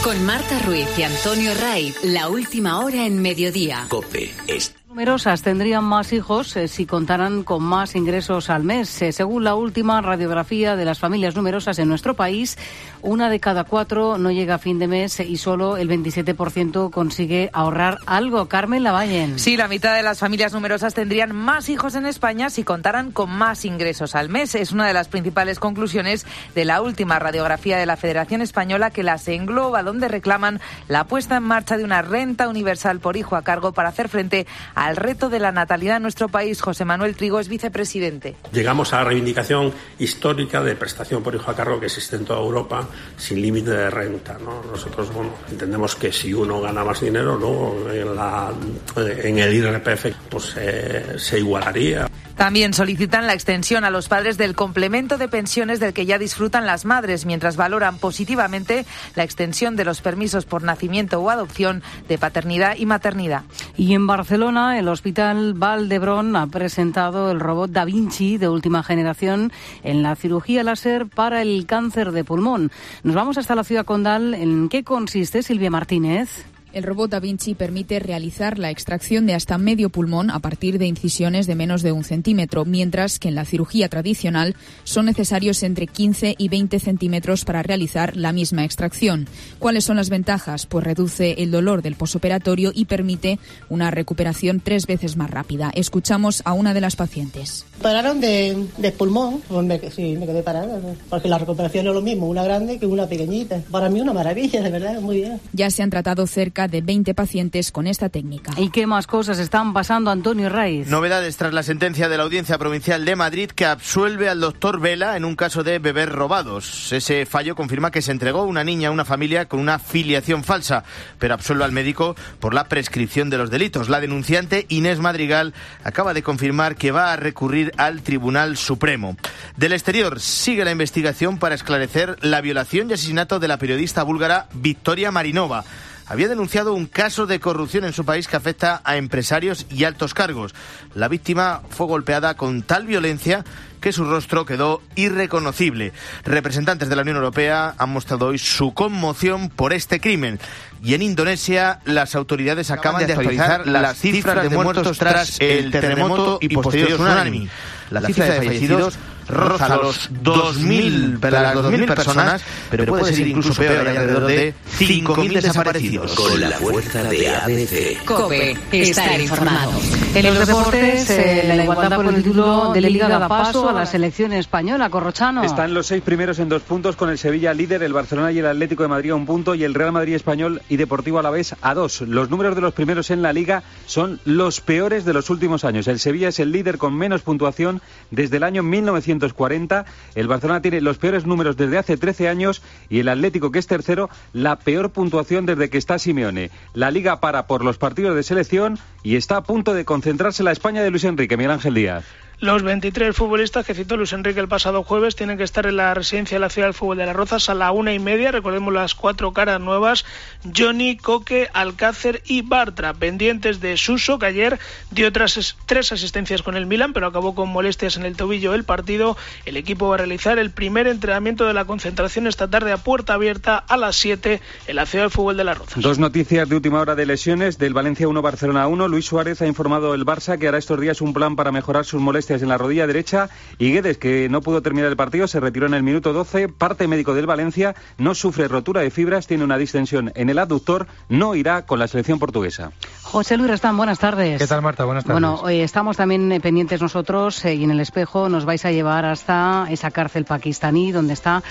Con Marta Ruiz y Antonio Ray, la última hora en mediodía. COPE es... Numerosas tendrían más hijos si contaran con más ingresos al mes. Según la última radiografía de las familias numerosas en nuestro país, 1 de cada 4 no llega a fin de mes y solo el 27% consigue ahorrar algo. Carmen Lavallen. Sí, la mitad de las familias numerosas tendrían más hijos en España si contaran con más ingresos al mes. Es una de las principales conclusiones de la última radiografía de la Federación Española, que las engloba, donde reclaman la puesta en marcha de una renta universal por hijo a cargo para hacer frente al reto de la natalidad en nuestro país. José Manuel Trigo es vicepresidente. Llegamos a la reivindicación histórica de prestación por hijo a cargo que existe en toda Europa, sin límite de renta, ¿no? Nosotros, entendemos que si uno gana más dinero, ¿no?, en el IRPF pues se igualaría. También solicitan la extensión a los padres del complemento de pensiones del que ya disfrutan las madres, mientras valoran positivamente la extensión de los permisos por nacimiento o adopción de paternidad y maternidad. Y en Barcelona, el Hospital Vall d'Hebron ha presentado el robot Da Vinci de última generación en la cirugía láser para el cáncer de pulmón. Nos vamos hasta la ciudad condal. ¿En qué consiste, Silvia Martínez? El robot Da Vinci permite realizar la extracción de hasta medio pulmón a partir de incisiones de menos de 1 centímetro, mientras que en la cirugía tradicional son necesarios entre 15 y 20 centímetros para realizar la misma extracción. ¿Cuáles son las ventajas? Pues reduce el dolor del posoperatorio y permite una recuperación 3 veces más rápida. Escuchamos a una de las pacientes. Pararon de pulmón, sí, me quedé parada, porque la recuperación es lo mismo, una grande que una pequeñita. Para mí una maravilla, de verdad, muy bien. Ya se han tratado cerca de 20 pacientes con esta técnica. ¿Y qué más cosas están pasando, Antonio Raiz? Novedades tras la sentencia de la Audiencia Provincial de Madrid, que absuelve al doctor Vela en un caso de bebés robados. Ese fallo confirma que se entregó una niña a una familia con una filiación falsa, pero absuelve al médico por la prescripción de los delitos. La denunciante, Inés Madrigal, acaba de confirmar que va a recurrir al Tribunal Supremo. Del exterior, sigue la investigación para esclarecer la violación y asesinato de la periodista búlgara Victoria Marinova. Había denunciado un caso de corrupción en su país que afecta a empresarios y altos cargos. La víctima fue golpeada con tal violencia que su rostro quedó irreconocible. Representantes de la Unión Europea han mostrado hoy su conmoción por este crimen. Y en Indonesia, las autoridades acaban de actualizar las cifras de muertos tras el terremoto y posterior tsunami. La cifra de fallecidos roza los 2.000 personas, pero puede ser incluso peor, hay alrededor de 5.000 desaparecidos. Con la fuerza de ABC. COPE, estar informado. En los deportes, la igualdad por el título de Liga da paso a la selección española. Corrochano. Están los 6 primeros en 2 puntos, con el Sevilla líder, el Barcelona y el Atlético de Madrid a 1 punto y el Real Madrid Español y Deportivo Alavés a 2. Los números de los primeros en la Liga son los peores de los últimos años. El Sevilla es el líder con menos puntuación desde el año 1940. El Barcelona tiene los peores números desde hace 13 años y el Atlético, que es tercero, la peor puntuación desde que está Simeone. La Liga para por los partidos de selección y está a punto de concentrarse la España de Luis Enrique. Miguel Ángel Díaz. Los 23 futbolistas que citó Luis Enrique el pasado jueves tienen que estar en la residencia de la Ciudad del Fútbol de Las Rozas a la 1:30. Recordemos las 4 caras nuevas: Johnny, Coque, Alcácer y Bartra, pendientes de Suso, que ayer dio 3 asistencias con el Milan, pero acabó con molestias en el tobillo el partido. El equipo va a realizar el primer entrenamiento de la concentración esta tarde a puerta abierta a las 7 en la Ciudad del Fútbol de Las Rozas. 2 noticias de última hora de lesiones del Valencia 1, Barcelona 1. Luis Suárez ha informado el Barça que hará estos días un plan para mejorar sus molestias en la rodilla derecha, y Guedes, que no pudo terminar el partido, se retiró en el minuto 12. Parte médico del Valencia, no sufre rotura de fibras, tiene una distensión en el abductor, no irá con la selección portuguesa. José Luis Restán, buenas tardes. ¿Qué tal, Marta? Buenas tardes. Bueno, estamos también pendientes nosotros y en el espejo nos vais a llevar hasta esa cárcel pakistaní donde está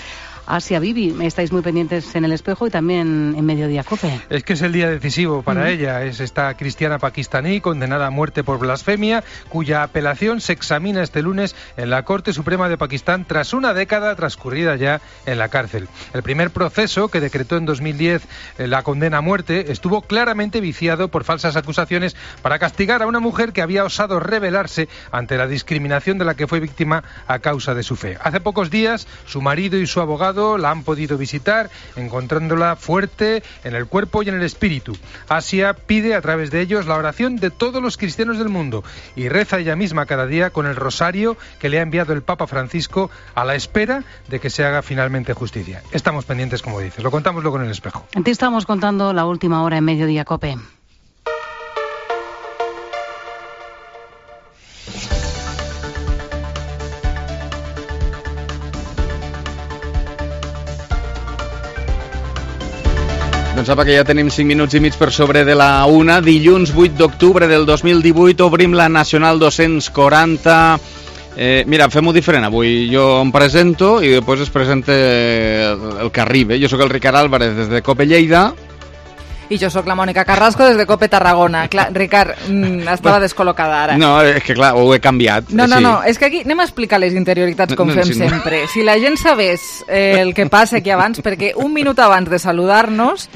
Asia Bibi. Estáis muy pendientes en el espejo y también en Mediodía COPE. Es que es el día decisivo para ella. Es esta cristiana pakistaní condenada a muerte por blasfemia, cuya apelación se examina este lunes en la Corte Suprema de Pakistán tras una década transcurrida ya en la cárcel. El primer proceso, que decretó en 2010 la condena a muerte, estuvo claramente viciado por falsas acusaciones para castigar a una mujer que había osado rebelarse ante la discriminación de la que fue víctima a causa de su fe. Hace pocos días, su marido y su abogado visitado, la han podido visitar, encontrándola fuerte en el cuerpo y en el espíritu. Asia pide a través de ellos la oración de todos los cristianos del mundo y reza ella misma cada día con el rosario que le ha enviado el Papa Francisco a la espera de que se haga finalmente justicia. Estamos pendientes, como dices, lo contamos luego en El Espejo. Te estamos contando la última hora en Mediodía COPE. Doncs apa, que ja tenim 5 minuts i mig per sobre de la 1. Dilluns 8 d'octubre del 2018 obrim la Nacional 240. Mira, fem-ho diferent avui. Jo em presento i després es presenta el que arriba. Jo sóc el Ricard Álvarez des de COPE Lleida. I jo sóc la Mònica Carrasco des de COPE Tarragona. Clar, Ricard, estava descol·locada ara. No, és que clar, ho he canviat. No, és que aquí anem a explicar les interioritats com fem sempre. Si la gent sabés el que passa aquí abans, perquè un minut abans de saludar-nos,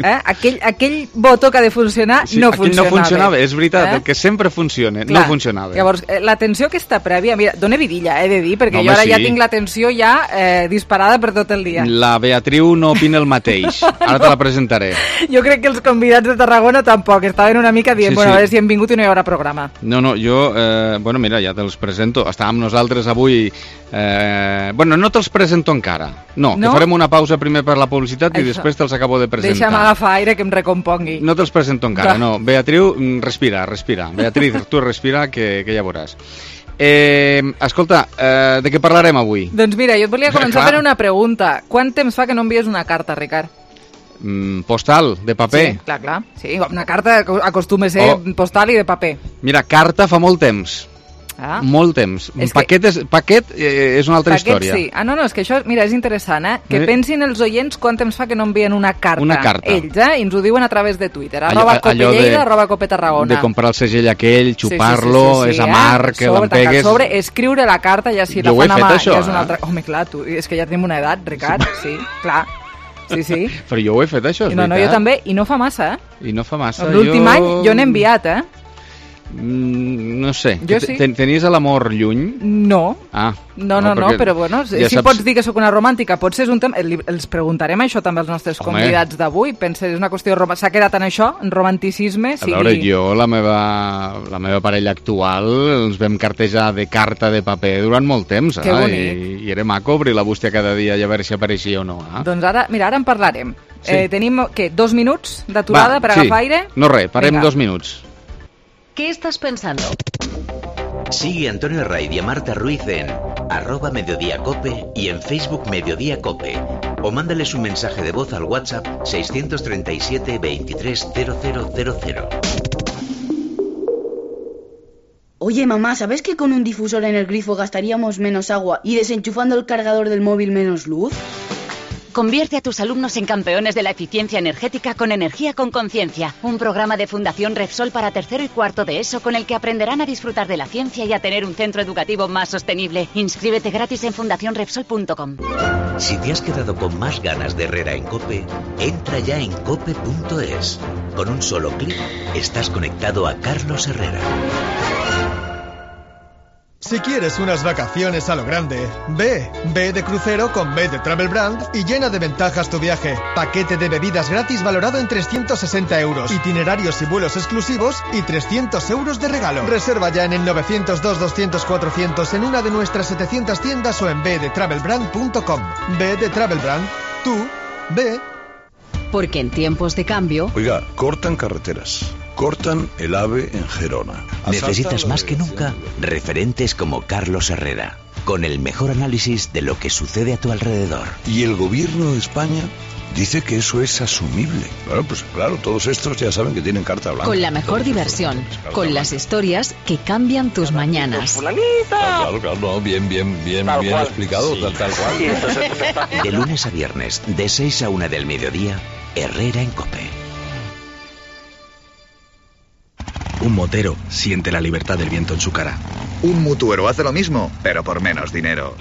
aquell botó que ha de funcionar no funcionava. Aquell no funcionava, és veritat, el que sempre funciona, no funcionava. Llavors, l'atenció aquesta prèvia, mira, dona vidilla, he de dir, perquè jo ara ja tinc l'atenció ja disparada per tot el dia. La Beatriu no opina el mateix, ara te la presentaré. Jo crec que els convidats de Tarragona tampoc, estaven una mica dient, a veure si hem vingut i no hi haurà programa. No, jo, mira, ja te'ls presento. Estàvem nosaltres avui... no te'ls presento encara. No, que farem una pausa primer per la publicitat i després te'ls acabo de presentar. Deixa'm agafar aire que em recompongui. No te'ls presento encara, no. Beatriu, respira. Beatriz, tu respira, que ja veuràs. Escolta, de què parlarem avui? Doncs mira, jo et volia començar per una pregunta. Quant temps fa que no envies una carta, Ricard? Postal, de paper. Sí, clar. Sí, una carta acostuma a ser postal i de paper. Mira, carta fa molt temps. Molt temps. Paquet és una altra història. Sí. No, és que això, mira, és interessant, que pensin els oients quant temps fa que no envien una carta. Ells, i ens ho diuen a través de Twitter. @COPELLEIDA, @COPETarragona. De comprar el segell aquell, xupar-lo, és amarg, que l'empegues... Sobre, escriure la carta, ja si la fan a mà, ja és una altra... Home, clar, és que ja tenim una edat, Ricard, sí, clar. Sí. Però jo ho he fet, això, és veritat. No, jo també, i no fa massa, I no fa massa. L'últim any jo n'he enviat, No sé. Jo sí. Tenies l'amor lluny? No. No, però bueno, ja si pots dir que sóc una romàntica, potser és un tema... Els preguntarem això també als nostres convidats d'avui. Pensa, és una qüestió... S'ha quedat en això, en romanticisme? A veure, jo, la meva parella actual, ens vam cartejar de carta de paper durant molt temps, i era maco obrir la bústia cada dia i a veure si apareixia o no. Doncs ara en parlarem. Tenim, 2 minuts d'aturada per agafar aire? No res, parem 2 minuts. ¿Qué estás pensando? Sigue a Antonio Raid y a Marta Ruiz en @mediodíacope y en Facebook Mediodía Cope. O mándales un mensaje de voz al WhatsApp 637 23 0000. Oye, mamá, ¿sabes que con un difusor en el grifo gastaríamos menos agua y desenchufando el cargador del móvil menos luz? Convierte a tus alumnos en campeones de la eficiencia energética con Energía con Conciencia, un programa de Fundación Repsol para tercero y cuarto de ESO con el que aprenderán a disfrutar de la ciencia y a tener un centro educativo más sostenible. Inscríbete gratis en fundacionrepsol.com. Si te has quedado con más ganas de Herrera en COPE, entra ya en cope.es. Con un solo clic estás conectado a Carlos Herrera. Si quieres unas vacaciones a lo grande, ve de crucero con B de Travel Brand y llena de ventajas tu viaje. Paquete de bebidas gratis valorado en 360 euros, itinerarios y vuelos exclusivos y 300 euros de regalo. Reserva ya en el 902-200-400 en una de nuestras 700 tiendas o en bdetravelbrand.com. B de Travel Brand, tú, ve. Porque en tiempos de cambio... Oiga, cortan carreteras. Cortan el AVE en Gerona. Necesitas más que nunca referentes como Carlos Herrera, con el mejor análisis de lo que sucede a tu alrededor. Y el gobierno de España dice que eso es asumible. Bueno, pues claro, todos estos ya saben que tienen carta blanca. Con la mejor diversión, con las historias que cambian tus mañanas. Claro, bien explicado, tal cual. De lunes a viernes, de 6 a 1 del mediodía, Herrera en COPE. Un motero siente la libertad del viento en su cara. Un mutuero hace lo mismo, pero por menos dinero.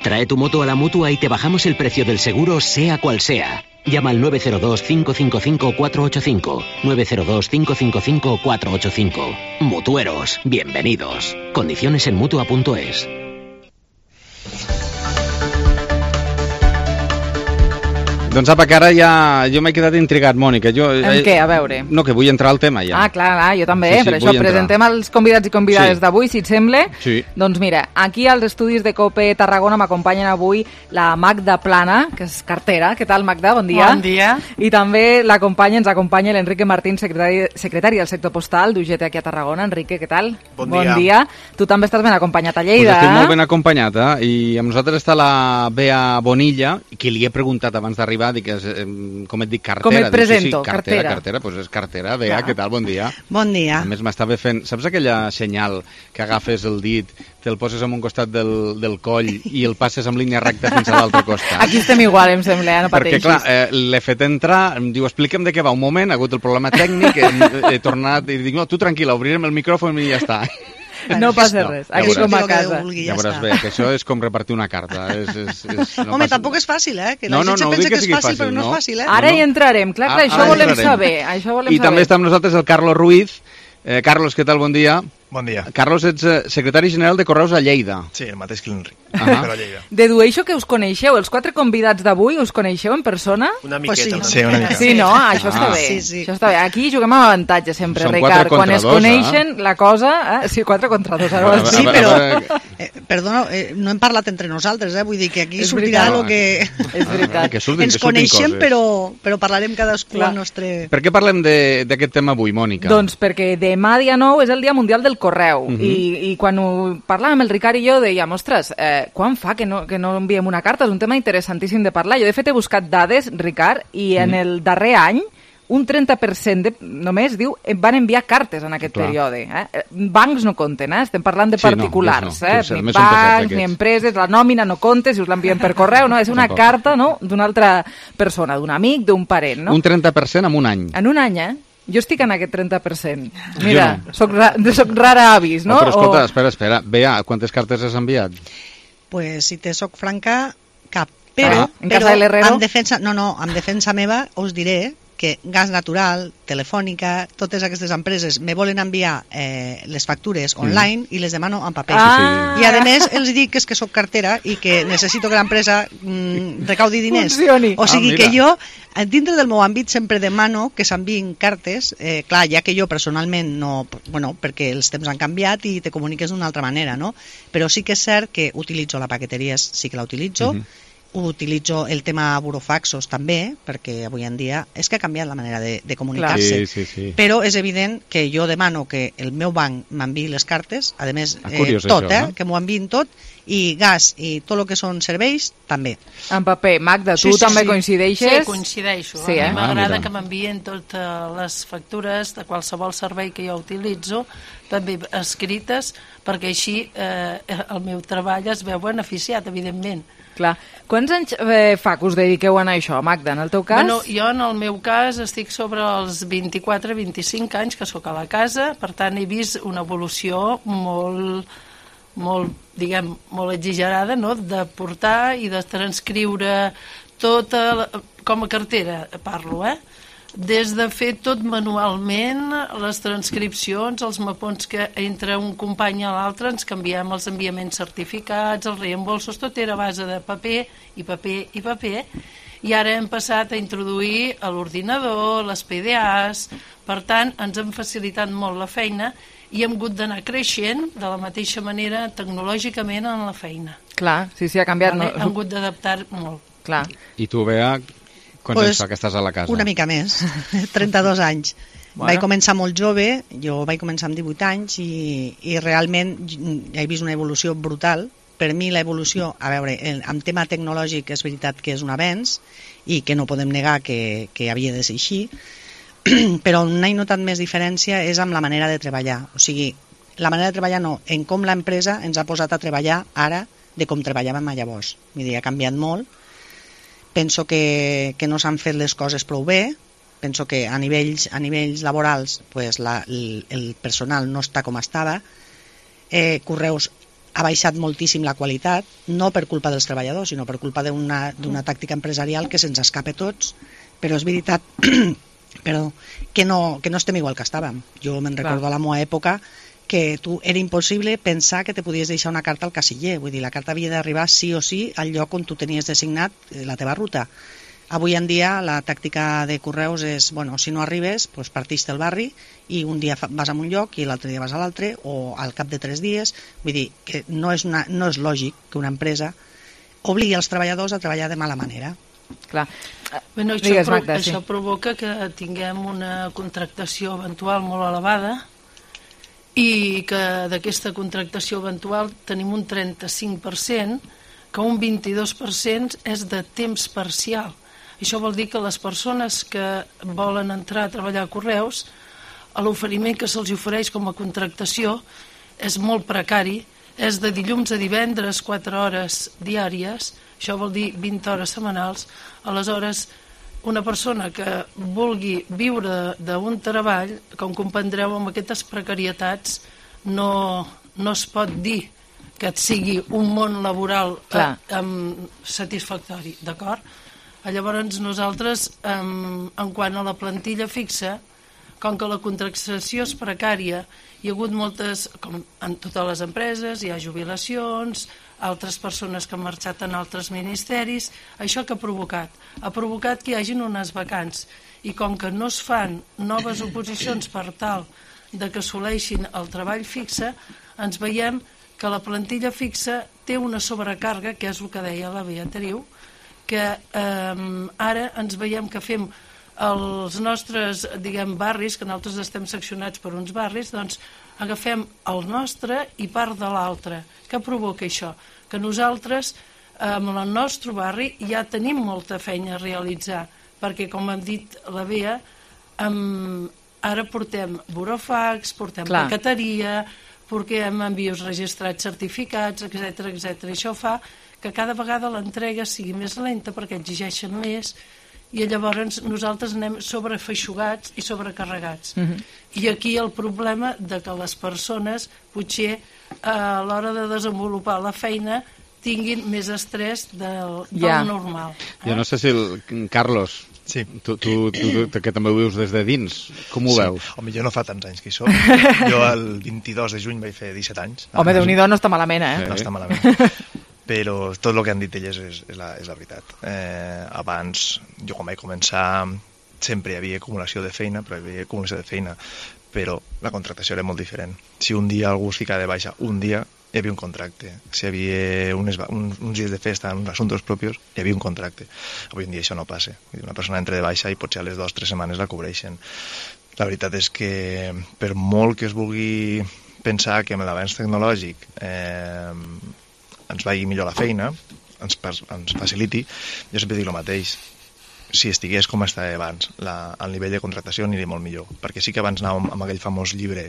Trae tu moto a la Mutua y te bajamos el precio del seguro, sea cual sea. Llama al 902-555-485. 902-555-485. Mutueros, bienvenidos. Condiciones en Mutua.es. Doncs apa, que ara ja jo m'he quedat intrigat, Mònica. En què? A veure. No, que vull entrar al tema ja. Ah, clar, jo també, Sí, per això presentem els convidats i convidades d'avui, si et sembla. Sí. Doncs mira, aquí als estudis de COPE Tarragona m'acompanyen avui la Magda Plana, que és cartera. Què tal, Magda? Bon dia. Bon dia. I també ens acompanya l'Enrique Martín, secretari del sector postal d'UGT aquí a Tarragona. Enrique, què tal? Bon dia. Tu també estàs ben acompanyat a Lleida, Pues estic molt ben acompanyat, i amb nosaltres està la Bea Bonilla, que li he preguntat abans d'arribar, com et dic, cartera. Com et presento, sí, cartera, doncs és cartera. Bea, què tal? Bon dia. Bon dia. A més, m'estava fent... Saps aquella senyal que agafes el dit, te'l poses en un costat del coll i el passes amb línia recta fins a l'altre costat? Aquí estem igual, em sembla, no pateixis. Perquè, clar, l'he fet entrar, em diu, explica'm de què va un moment, ha hagut el problema tècnic, he tornat i dic, no, tu tranquil·la, obrirem el micròfon i ja està. No passa res, aquí com a casa. Ja veuràs bé, que això és com repartir una carta. Home, tampoc és fàcil, que la gent pensa que és fàcil, però no és fàcil, Ara hi entrarem, clar, això volem saber. I també està amb nosaltres el Carlos Ruiz. Carlos, què tal? Bon dia. Bon dia. Carlos, ets secretari general de Correus a Lleida. Sí, el mateix que l'Enric, però a Lleida. Dedueixo que us coneixeu, els 4 convidats d'avui us coneixeu en persona? Una miqueta. Sí, una mica. Sí, no? Això està bé. Això està bé. Aquí juguem amb avantatge sempre, Ricard. Quan es coneixen, la cosa... Sí, 4 contra 2. Sí, però... Perdona, no hem parlat entre nosaltres, vull dir que aquí sortirà el que... És veritat. Ens coneixem, però parlarem cadascú al nostre... Per què parlem d'aquest tema avui, Mònica? Doncs perquè demà, dia 9, és el Dia Mundial del Correu. I quan ho parlàvem el Ricard i jo dèiem, ostres, quan fa que no enviem una carta? És un tema interessantíssim de parlar. Jo de fet he buscat dades, Ricard, i en el darrer any un 30% només diu van enviar cartes en aquest període. Bancs no compten, estem parlant de particulars. Ni bancs, ni empreses, la nòmina no compta, si us l'enviem per correu, no? És una carta d'una altra persona, d'un amic, d'un parent. Un 30% en un any. En un any, Jo estic en aquest 30%. Mira, soc rara avis, no? Però escolta, espera. Bea, quantes cartes has enviat? Pues, si te soc franca, cap. Però, en casa de l'Herrero? En defensa meva us diré que Gas Natural, Telefònica, totes aquestes empreses me volen enviar les factures online i les demano en paper. I a més els dic que és que soc cartera i que necessito que l'empresa recaudi diners. Funcioni. O sigui que jo, dintre del meu àmbit, sempre demano que s'enviïn cartes, clar, ja que jo personalment no, perquè els temps han canviat i te comuniques d'una altra manera, no? Però sí que és cert que utilitzo la paqueteria, sí que la utilitzo, utilitzo el tema burofaxos també, perquè avui en dia és que ha canviat la manera de comunicar-se. Sí. Però és evident que jo demano que el meu banc m'enviï les cartes, a més, tot, que m'ho enviïn tot, i gas i tot el que són serveis, també. En paper. Magda, tu també coincideixes? Sí, coincideixo. A mi m'agrada que m'envien totes les factures de qualsevol servei que jo utilitzo, també escrites, perquè així el meu treball es veu beneficiat, evidentment. Clar. Quants anys fa que us dediqueu a això, Magda, en el teu cas? Bueno, jo en el meu cas estic sobre els 24-25 anys que sóc a la casa, per tant he vist una evolució molt exagerada, no?, de portar i de transcriure tota, com a cartera parlo, des de fer tot manualment, les transcripcions, els mapons que entre un company a l'altre ens canviem els enviaments certificats, els reembolsos, tot era a base de paper i paper i paper, i ara hem passat a introduir a l'ordinador, les PDAs, per tant ens han facilitat molt la feina i hem hagut d'anar creixent de la mateixa manera tecnològicament en la feina. Clar, sí, ha canviat. Hem hagut d'adaptar molt. Clar. I tu, Bea, quants anys fa que estàs a la casa? Una mica més, 32 anys. Vaig començar molt jove, jo vaig començar amb 18 anys i realment he vist una evolució brutal. Per mi l'evolució, a veure, en tema tecnològic és veritat que és un avenç i que no podem negar que havia de ser així, però on he notat més diferència és amb la manera de treballar. O sigui, la manera de treballar no, en com l'empresa ens ha posat a treballar ara de com treballàvem llavors. Vull dir, ha canviat molt. Penso que no s'han fet les coses prou bé. Penso que a nivells laborals pues, el personal no està com estava. Correus ha baixat moltíssim la qualitat, no per culpa dels treballadors, sinó per culpa d'una tàctica empresarial que se'ns escapa a tots, però és veritat que no estem igual que estàvem. Jo me'n recordo a la meva època que era impossible pensar que te podies deixar una carta al casiller, vull dir, la carta havia d'arribar sí o sí al lloc on tu tenies designat la teva ruta. Avui en dia la tàctica de correus és, bueno, si no arribes, doncs partix del barri i un dia vas a un lloc i l'altre dia vas a l'altre, o al cap de 3 dies. Vull dir que no és lògic que una empresa obligui els treballadors a treballar de mala manera. Clar. Bueno, això provoca que tinguem una contractació eventual molt elevada i que d'aquesta contractació eventual tenim un 35%, que un 22% és de temps parcial. Això vol dir que les persones que volen entrar a treballar a Correus, l'oferiment que se'ls ofereix com a contractació és molt precari, és de dilluns a divendres 4 hores diàries, això vol dir 20 hores setmanals. Aleshores, una persona que vulgui viure d'un treball, com comprendreu, amb aquestes precarietats no es pot dir que et sigui un món laboral satisfactori, d'acord? Llavors nosaltres, en quant a la plantilla fixa, com que la contractació és precària, hi ha hagut moltes, com en totes les empreses, hi ha jubilacions, altres persones que han marxat en altres ministeris. Això què ha provocat? Ha provocat que hi hagin unes vacants, i com que no es fan noves oposicions per tal de que assoleixin el treball fixe, ens veiem que la plantilla fixa té una sobrecàrrega, que és el que deia la Beatriu, que ara ens veiem que fem els nostres, diguem, barris, que nosaltres estem seccionats per uns barris, doncs agafem el nostre i part de l'altre. Què provoca això? Que nosaltres, en el nostre barri, ja tenim molta feina a realitzar, perquè, com hem dit la Bea, ara portem burofax, portem paqueteria, portem envios registrats certificats, etc. Això fa que cada vegada l'entrega sigui més lenta perquè exigeixen més, i llavors nosaltres anem sobrefeixugats i sobrecarregats. I aquí el problema de que les persones potser a l'hora de desenvolupar la feina tinguin més estrès del normal. Jo no sé si Carlos, tu que també ho vius des de dins, com ho veus? Home, jo no fa tants anys que hi soc. Jo el 22 de juny vaig fer 17 anys. Home, Déu-n'hi-do, no està malament, eh? No està malament. Però tot el que han dit elles és la veritat. Abans, jo quan vaig començar, sempre hi havia acumulació de feina, però la contractació era molt diferent. Si un dia algú es ficava de baixa, un dia hi havia un contracte. Si hi havia uns dies de festa, uns assumptes propis, hi havia un contracte. Avui en dia això no passa. Una persona entra de baixa i potser a les 2 o 3 setmanes la cobreixen. La veritat és que per molt que es vulgui pensar que amb l'avanç tecnològic ens vagi millor la feina, ens faciliti, jo sempre dic el mateix. Si estigués com estava abans, el nivell de contractació aniria molt millor, perquè sí que abans anàvem amb aquell famós llibre,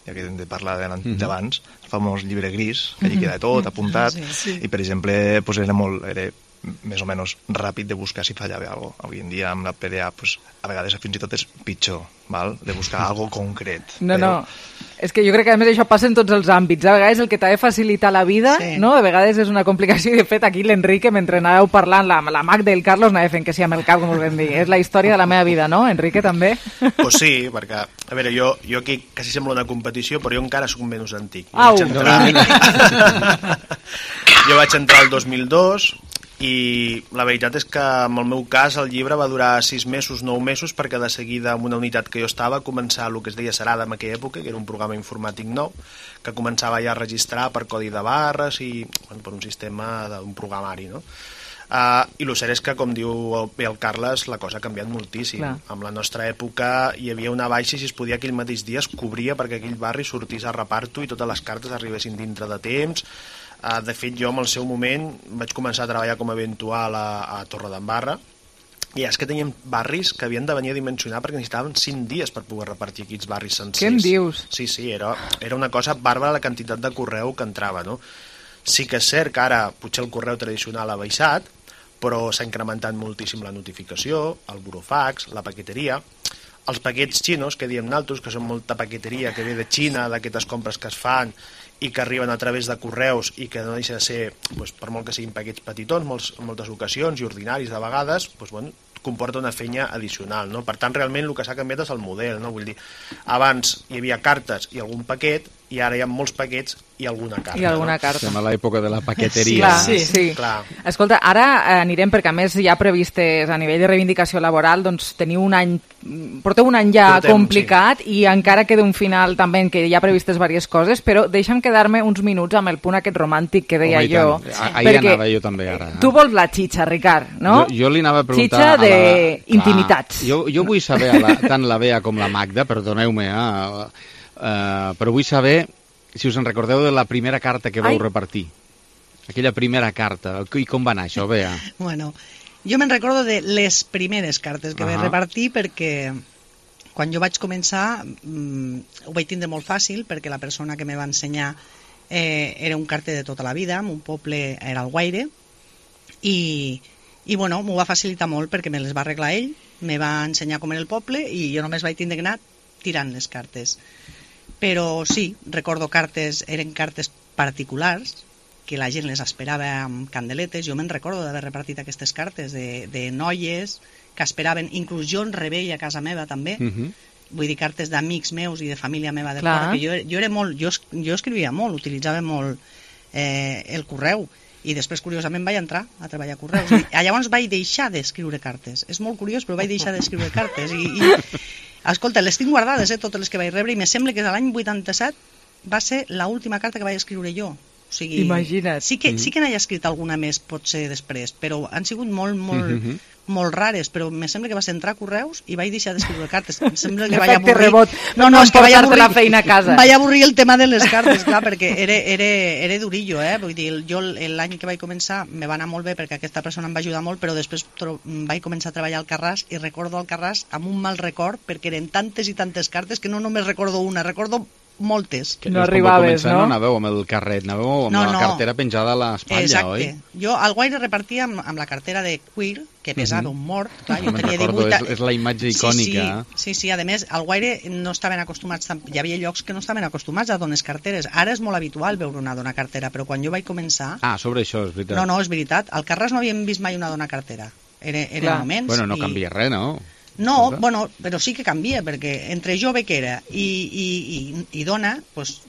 ja que hem de parlar d'abans, el famós llibre gris, que allí queda tot apuntat, i per exemple era més o menys ràpid de buscar si fallava alguna cosa. Avui en dia amb la PDA a vegades fins i tot és pitjor, de buscar alguna cosa concret. No, és que jo crec que a més això passa en tots els àmbits. A vegades el que t'ha de facilitar la vida, no? A vegades és una complicació, i de fet aquí l'Enrique, mentre anàveu parlant, la Magda i el Carlos anava fent que sí amb el cap, com us vam dir. És la història de la meva vida, no, Enrique, també? Pues sí, perquè, a veure, jo aquí quasi sembla una competició, però jo encara soc menys antic. Au! Jo vaig entrar el 2002, i la veritat és que en el meu cas el llibre va durar 6 mesos, 9 mesos, perquè de seguida en una unitat que jo estava començar el que es deia Serada en aquella època, que era un programa informàtic nou que començava ja a registrar per codi de barres i per un sistema d'un programari, no? I el cert és que, com diu bé el Carles, la cosa ha canviat moltíssim. En la nostra època hi havia una baixa i si es podia aquell mateix dia es cobria perquè aquell barri sortís a reparto i totes les cartes arribessin dintre de temps. De fet, jo en el seu moment vaig començar a treballar com a eventual a Torredembarra, i és que teníem barris que havien de venir a dimensionar perquè necessitaven 5 dies per poder repartir aquests barris sencers. Què em dius? Sí, era una cosa bàrbara la quantitat de correu que entrava, no? Sí que és cert que ara potser el correu tradicional ha baixat, però s'ha incrementat moltíssim la notificació, el burofax, la paqueteria, els paquets xinos, que diem naltros, que són molta paqueteria que ve de Xina, d'aquestes compres que es fan i que arriben a través de correus i que no deixa de ser, per molt que siguin paquets petitons, en moltes ocasions i ordinaris de vegades, comporta una feina addicional, no? Per tant, realment el que s'ha canviat és el model, no? Vull dir, abans hi havia cartes i algun paquet, i ara hi ha molts paquets i alguna carta. I alguna carta. Estem a l'època de la paqueteria. Sí. Escolta, ara anirem, perquè a més hi ha previstes a nivell de reivindicació laboral, doncs porteu un any ja complicat i encara queda un final també en què hi ha previstes diverses coses, però deixa'm quedar-me uns minuts amb el punt aquest romàntic que deia jo. Ahir anava jo també ara. Tu vols la xitxa, Ricard, no? Jo li anava a preguntar... Xitxa d'intimitats. Jo vull saber, tant la Bea com la Magda, perdoneu-me, però vull saber si us en recordeu de la primera carta que vau repartir. Aquella primera carta. I com va anar això, Bea? Bueno, jo me'n recordo de les primeres cartes que vaig repartir, perquè quan jo vaig començar ho vaig tindre molt fàcil, perquè la persona que me va ensenyar era un carter de tota la vida, en un poble era Alguaire, i bueno, m'ho va facilitar molt perquè me les va arreglar ell, me va ensenyar com era el poble i jo només vaig tindre que anar tirant les cartes. Però sí, recordo eren cartes particulars, que la gent les esperava amb candeletes. Jo me'n recordo d'haver repartit aquestes cartes de noies que esperaven, inclús jo en rebella a casa meva també, vull dir, cartes d'amics meus i de família meva de fora, que jo era molt, jo escrivia molt, utilitzava molt el correu, i després curiosament vaig entrar a treballar a correus, i llavors vaig deixar d'escriure cartes. És molt curiós, però vaig deixar d'escriure cartes i escolta, les tinc guardades, totes les que vaig rebre, i me sembla que l'any 87 va ser l'última carta que vaig escriure jo. O sigui, imagina't. Sí que n'he escrit alguna més, potser després, però han sigut molt rares, però me sembla que vas entrar a correus i vaig deixar d'escriure cartes. Em sembla que vaig avorrir... No, és que vaig avorrir la feina a casa. Vaig avorrir el tema de les cartes, clar, perquè era durillo, Vull dir, jo l'any que vaig començar me va anar molt bé perquè aquesta persona em va ajudar molt, però després vaig començar a treballar al Carràs i recordo al Carràs amb un mal record perquè eren tantes i tantes cartes que no només recordo una, recordo moltes. No arribaves, no? No anàveu amb el carret, anàveu amb la cartera penjada a l'espatlla, oi? Exacte. Jo al Guaire repartia amb la cartera de cuir, que pesava un mort. Clar, jo tenia 18... És la imatge icònica. Sí, a més, al Guaire no estaven acostumats, hi havia llocs que no estaven acostumats a dones carteres. Ara és molt habitual veure una dona cartera, però quan jo vaig començar... sobre això, és veritat. No, és veritat. Al Carràs no havíem vist mai una dona cartera. Era moments... Bueno, no canvia res, no? No, bueno, però sí que canvia, perquè entre jove que era i dona, doncs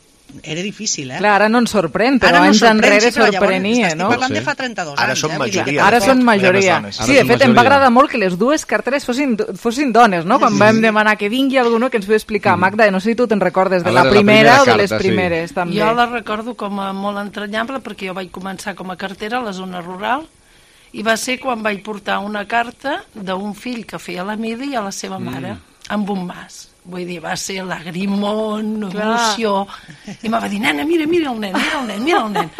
era difícil, Clar, ara no ens sorprèn, però anys enrere sorprenia, no? Estic parlant de fa 32 anys. Ara són majoria. Ara són majoria. Sí, de fet, em va agradar molt que les dues carteres fossin dones, no? Quan vam demanar que vingui algú que ens pugui explicar. Magda, no sé si tu te'n recordes de la primera o de les primeres, també. Jo la recordo com a molt entranyable, perquè jo vaig començar com a cartera a la zona rural, i va ser quan vaig portar una carta d'un fill que feia la mili a la seva mare, amb un mas. Vull dir, va ser lagrimón, emoció, i me va dir, nena, mira el nen.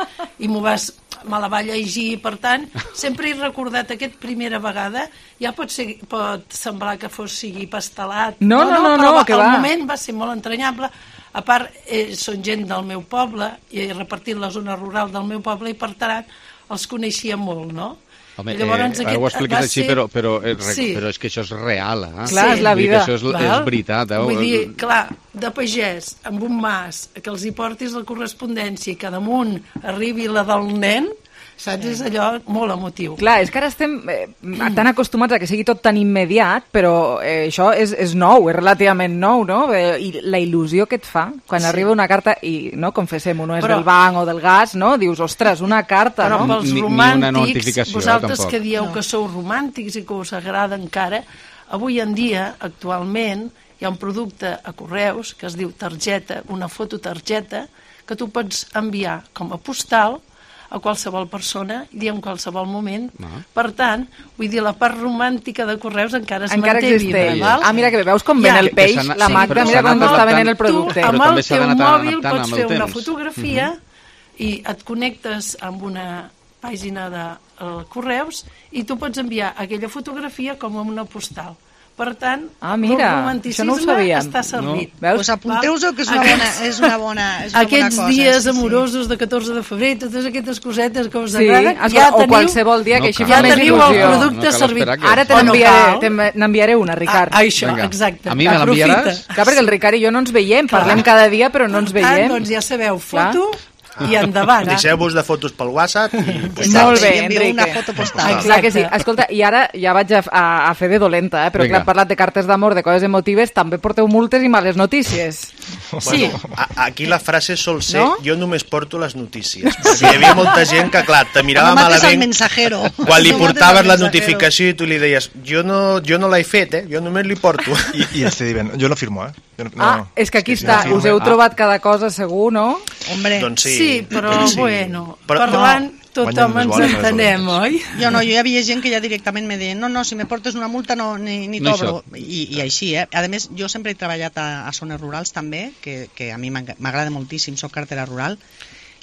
I me la va llegir, per tant, sempre he recordat aquesta primera vegada, ja pot semblar que sigui pastelat, no, que va. El moment va ser molt entranyable. A part, són gent del meu poble, i he repartit la zona rural del meu poble, i per tant, els coneixia molt, no? Home, ara ho expliques així, però és que això és real, Clar, és la vida. Això és veritat, Vull dir, clar, de pagès, amb un mas, que els hi portis la correspondència i que damunt arribi la del nen, saps? És allò molt emotiu. Clar, és que ara estem tan acostumats a que sigui tot tan immediat, però això és nou, és relativament nou, no? I la il·lusió que et fa quan arriba una carta, i no, confessem-ho, no és del banc o del gas, no? Dius, ostres, una carta, no? Però pels romàntics, vosaltres tampoc. Que dieu que sou romàntics i que us agrada encara, avui en dia, actualment, hi ha un producte a correus que es diu targeta, una fototargeta, que tu pots enviar com a postal a qualsevol persona i en qualsevol moment. Per tant, vull dir, la part romàntica de correus encara es manté viva. Mira que veus com ven el peix, la Magda, mira com està venent el producte. Tu, amb el teu mòbil, pots fer una fotografia i et connectes amb una pàgina de correus i tu pots enviar aquella fotografia com a una postal. Per tant, el romanticisme està servit. Pues apunteu-ho, que és una bona cosa. Aquests dies amorosos de 14 de febrer, totes aquestes cosetes que us agraden, o qualsevol dia que així fa més il·lusió. Ja teniu el producte servit. Ara n'enviaré una, Ricard. Això, exacte. A mi me l'enviaràs? Clar, perquè el Ricard i jo no ens veiem, parlem cada dia però no ens veiem. Doncs ja sabeu, foto I endavant. Deixeu-vos de fotos pel WhatsApp i... Molt bé, Envieu una Enrique. foto postal. Clar que sí. Escolta, i ara ja vaig a fer de dolenta, però clar, hem parlat de cartes d'amor, de coses emotives, també porteu multes i males notícies. Sí. Aquí la frase sol ser jo només porto les notícies, perquè hi havia molta gent que, clar, te mirava malament quan li portaves la notificació i tu li deies jo no l'he fet, jo només li porto. I este divent, jo no firmo, és que aquí està, us heu trobat cada cosa segur, no? Hombre. Doncs sí, però bueno, parlant tothom ens entenem, oi? Jo no, hi havia gent que ja directament me deien no, si me portes una multa ni t'obro. I així, A més, jo sempre he treballat a zones rurals també, que a mi m'agrada moltíssim, soc cartera rural,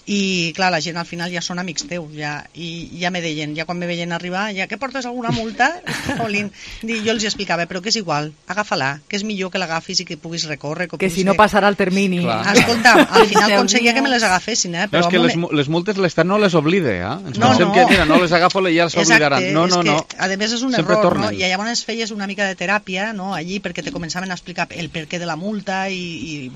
i clar, la gent al final ja són amics teus i ja me deien, ja quan me veien arribar que portes alguna multa? Jolín, jo els explicava, però que és igual, agafa-la, que és millor que l'agafis i que puguis recórrer, que si no passarà el termini. Escolta, al final aconseguia que me les agafessin, però és que les multes l'Estat no les oblida, ens pensem que mira, no les agafo i ja les oblidaran. No, a més és un error, i llavors feies una mica de teràpia allí perquè te començaven a explicar el perquè de la multa i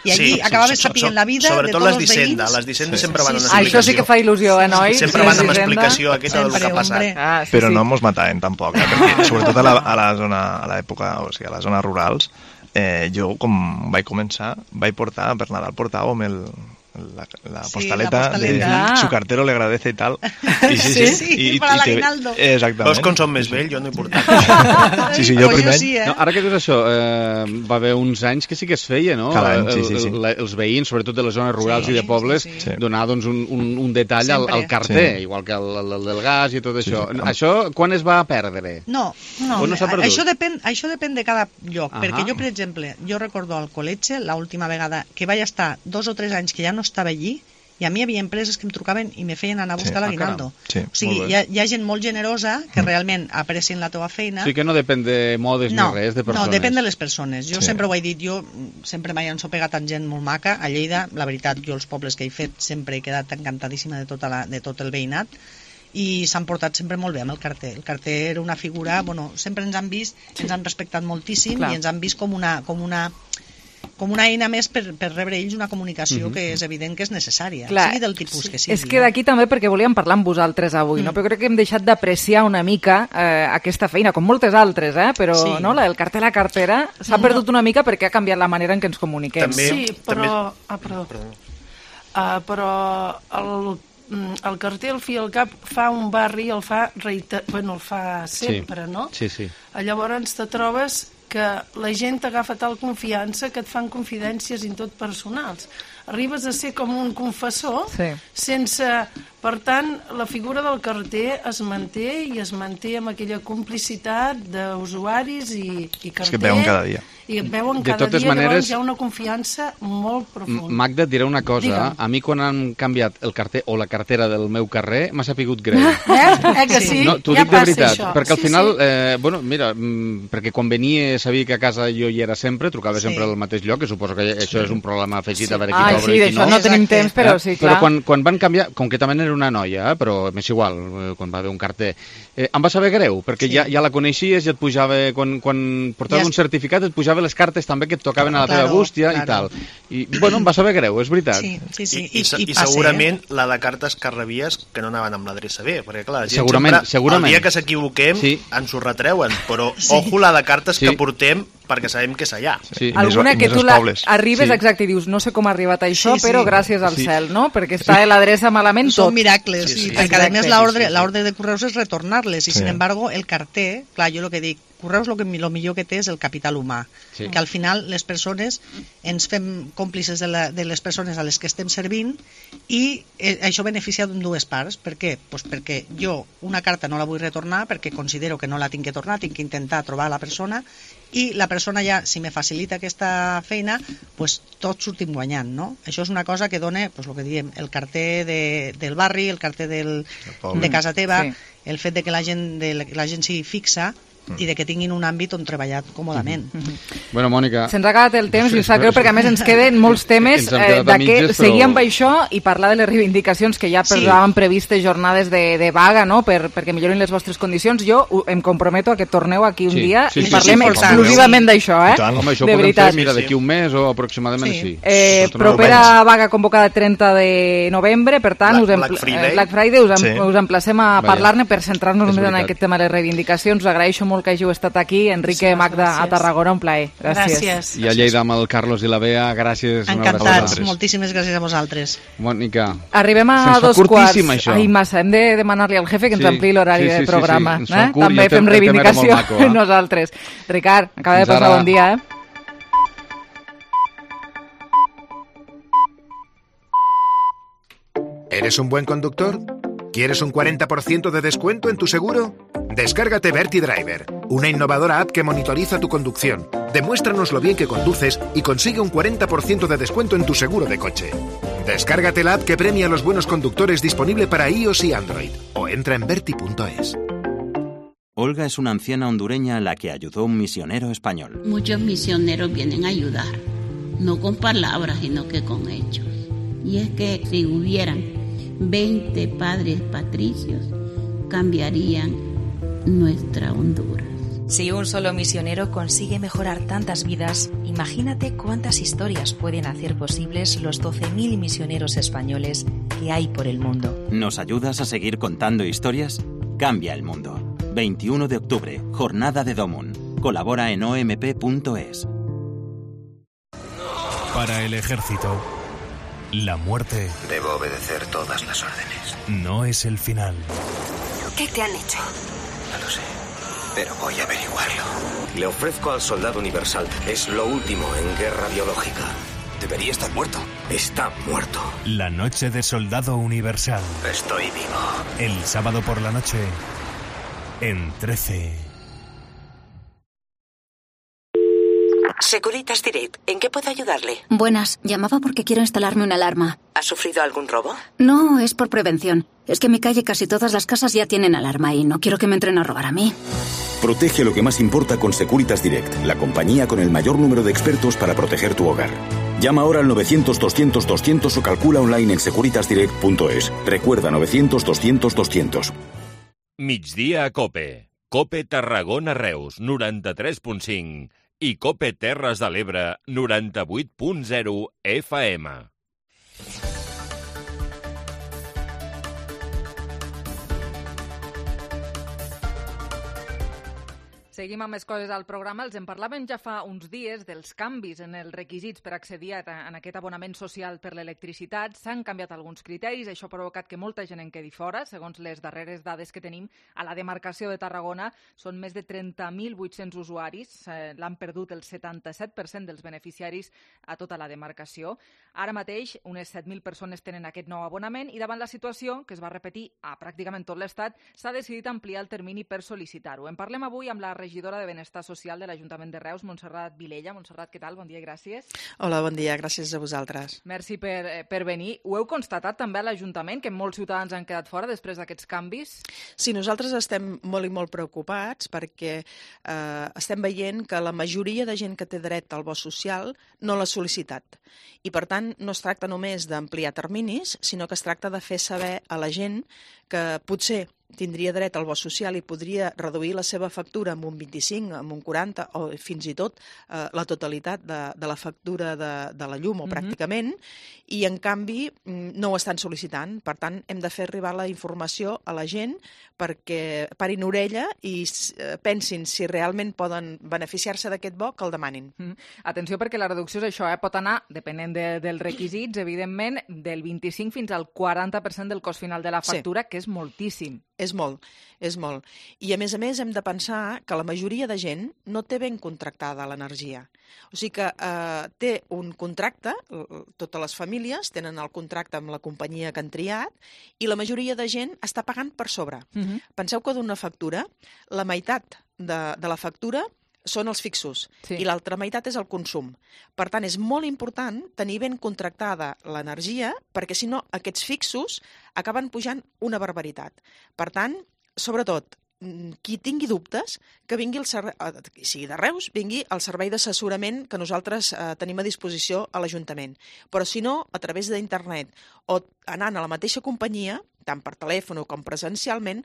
allí acabaves sapient la vida de tots els veïns. Les d'Hisenda sempre van amb explicació. Això sí que fa il·lusió, noi? Sempre van amb explicació aquesta del que ha passat. Però no mos mataven tampoc, perquè sobretot a l'època, o sigui, a les zones rurals, jo, com vaig començar, vaig portar, per Nadal portàvem la postaleta de su cartero le agradece y tal. Sí, para l'aguinaldo. Exactament. Veus com som més vell? Jo no he portat. Sí, jo primer. Ara que dius això, va haver uns anys que sí que es feia, no? Cada any, sí. Els veïns, sobretot de les zones rurals i de pobles, donar doncs, un detall al carter, igual que el del gas i tot això. Això quan es va perdre? No, això depèn de cada lloc, perquè jo, per exemple, jo recordo al col·legi, l'última vegada que vaig estar 2 o 3 anys que ja no estava allí, i a mi hi havia empreses que em trucaven i me feien anar a buscar l'aguinaldo. O sigui, hi ha gent molt generosa que realment aprecien la teva feina. Sí que no depèn de modes ni res, de persones. No, depèn de les persones. Jo sempre ho he dit, jo sempre m'he ensopegat amb gent molt maca. A Lleida, la veritat, jo els pobles que he fet sempre he quedat encantadíssima de tot el veïnat i s'han portat sempre molt bé amb el carter. El carter era una figura, sempre ens han vist, ens han respectat moltíssim i ens han vist com una eina més per rebre ells una comunicació que és evident que és necessària, sigui del tipus que sigui. És que d'aquí també perquè volíem parlar amb vosaltres avui, no? Però crec que hem deixat d'apreciar una mica aquesta feina, com moltes altres, però el carter a la cartera s'ha perdut una mica perquè ha canviat la manera en què ens comuniquem. Sí, però... Però el carter al fi al cap fa un barri, el fa sempre, no? Sí. Llavors te trobes que la gent t'agafa tal confiança que et fan confidències i tot personals. Arribes a ser com un confessor sense... Per tant, la figura del carter es manté i es manté amb aquella complicitat d'usuaris i carter. És que et veuen cada dia. I et veuen cada dia, llavors hi ha una confiança molt profunda. Magda, et diré una cosa. A mi quan han canviat el carter o la cartera del meu carrer m'ha sapigut greu. Que sí? No, t'ho dic de veritat, perquè al final, mira, perquè quan venia sabia que a casa jo hi era sempre, trucava sempre al mateix lloc, que suposo que això és un problema afegit a veure qui t'obre i qui no. D'això no tenim temps, però sí, clar. Però quan van canviar, com que també era una noia, però m'és igual, quan va haver un carter, em va saber greu, perquè ja la coneixies i et pujava, quan portaves un certificat, et pujava les cartes també que et tocaven a la teva bústia i tal. I, em va saber greu, és veritat. Sí. I segurament la de cartes que rebies que no anaven amb l'adreça bé, perquè clar, la gent segurament. El dia que s'equivoquem ens ho retreuen, però ojo la de cartes que portem perquè sabem que és allà. Alguna que tu arribes exacte i dius, no sé com ha arribat això, però gràcies al cel, no? Perquè està l'adreça malament tot. Són miracles, perquè a més l'ordre de correus és retornar-les, i sin embargo el carter, clar, jo el que dic, correus el millor que té és el capital humà, que al final les persones ens fem còmplices de les persones a les que estem servint i això beneficia dues parts. Per què? Pues perquè jo una carta no la vull retornar perquè considero que no la tinc que tornar, tinc que intentar trobar la persona, i la persona ja, si me facilita aquesta feina, pues tots sortim guanyant, no? Això és una cosa que dona, pues, el que diem, el carter del barri, el carter de casa teva, el fet de que la gent sigui fixa, i de que tinguin un àmbit on treballar còmodament. Bueno, Mònica... Se'ns ha acabat el temps i em sap greu perquè a més ens queden molts temes seguir amb això i parlar de les reivindicacions que ja han previstes jornades de vaga, no?, perquè millorin les vostres condicions. Jo em comprometo a que torneu aquí un dia i parlem exclusivament d'això, Home, això ho podem fer, mira, d'aquí un mes o aproximadament així. Propera vaga convocada 30 de novembre, per tant, Black Friday, us emplacem a parlar-ne per centrar-nos més en aquest tema de les reivindicacions. Us agraeixo molt que hàgiu estat aquí. Enrique, Magda, a Tarragona, un plaer. Gràcies. I a Lleida amb el Carlos i la Bea, gràcies. Encantats, moltíssimes gràcies a vosaltres. Mònica, arribem a 2:15. Ai, massa, hem de demanar-li al jefe que ens ampliï l'horari de programa. També fem reivindicació nosaltres. Ricard, acaba de passar bon dia, ¿Eres un buen conductor? ¿Quieres un 40% de descuento en tu seguro? Descárgate Verti Driver, una innovadora app que monitoriza tu conducción. Demuéstranos lo bien que conduces y consigue un 40% de descuento en tu seguro de coche. Descárgate la app que premia a los buenos conductores, disponible para iOS y Android, o entra en verti.es. Olga es una anciana hondureña a la que ayudó un misionero español. Muchos misioneros vienen a ayudar, no con palabras, sino que con hechos. Y es que si hubieran 20 padres patricios, cambiarían nuestra Honduras. Si un solo misionero consigue mejorar tantas vidas, imagínate cuántas historias pueden hacer posibles los 12.000 misioneros españoles que hay por el mundo. ¿Nos ayudas a seguir contando historias? Cambia el mundo. 21 de octubre, Jornada de Domun. Colabora en omp.es. Para el ejército, la muerte... Debo obedecer todas las órdenes. No es el final. ¿Qué te han hecho? No lo sé, pero voy a averiguarlo. Le ofrezco al soldado universal. Es lo último en guerra biológica. Debería estar muerto. Está muerto. La noche de soldado universal. Estoy vivo. El sábado por la noche, en 13. Securitas Direct, ¿en qué puedo ayudarle? Buenas, llamaba porque quiero instalarme una alarma. ¿Ha sufrido algún robo? No, es por prevención. Es que en mi calle casi todas las casas ya tienen alarma y no quiero que me entren a robar a mí. Protege lo que más importa con Securitas Direct, la compañía con el mayor número de expertos para proteger tu hogar. Llama ahora al 900-200-200 o calcula online en securitasdirect.es. Recuerda, 900-200-200. Migdia a Cope. Cope Tarragona Reus, 93.5. I Cope Terres de l'Ebre, 98.0 FM. Seguim amb més coses al programa. Els en parlàvem ja fa uns dies dels canvis en els requisits per accedir a aquest abonament social per l'electricitat. S'han canviat alguns criteris, això ha provocat que molta gent en quedi fora. Segons les darreres dades que tenim, a la demarcació de Tarragona són més de 30.800 usuaris. L'han perdut el 77% dels beneficiaris a tota la demarcació. Ara mateix, unes 7.000 persones tenen aquest nou abonament i davant la situació, que es va repetir a pràcticament tot l'Estat, s'ha decidit ampliar el termini per sol·licitar-ho. En parlem avui amb la regidora de Benestar Social de l'Ajuntament de Reus, Montserrat Vilella. Montserrat, què tal? Bon dia i gràcies. Hola, bon dia, gràcies a vosaltres. Merci per venir. Ho heu constatat també a l'Ajuntament, que molts ciutadans han quedat fora després d'aquests canvis? Sí, nosaltres estem molt i molt preocupats perquè estem veient que la majoria de gent que té dret al bo social no l'ha sol·licitat. I, per tant, no es tracta només d'ampliar terminis, sinó que es tracta de fer saber a la gent que potser tindria dret al bo social i podria reduir la seva factura amb un 25, amb un 40 o fins i tot la totalitat de la factura de la llum o pràcticament, i en canvi no ho estan sol·licitant. Per tant, hem de fer arribar la informació a la gent perquè parin orella i pensin si realment poden beneficiar-se d'aquest bo, que el demanin. Atenció, perquè la reducció és això, pot anar, depenent dels requisits, evidentment, del 25 fins al 40% del cost final de la factura, que és moltíssim. És molt, és molt. I a més hem de pensar que la majoria de gent no té ben contractada l'energia. O sigui que té un contracte, totes les famílies tenen el contracte amb la companyia que han triat, i la majoria de gent està pagant per sobre. Penseu que d'una factura, la meitat de la factura són els fixos i l'altra meitat és el consum. Per tant, és molt important tenir ben contractada l'energia perquè, si no, aquests fixos acaben pujant una barbaritat. Per tant, sobretot, qui tingui dubtes, que vingui sigui de Reus, vingui al servei d'assessorament que nosaltres tenim a disposició a l'Ajuntament. Però si no, a través d'internet o anant a la mateixa companyia, tant per telèfon com presencialment,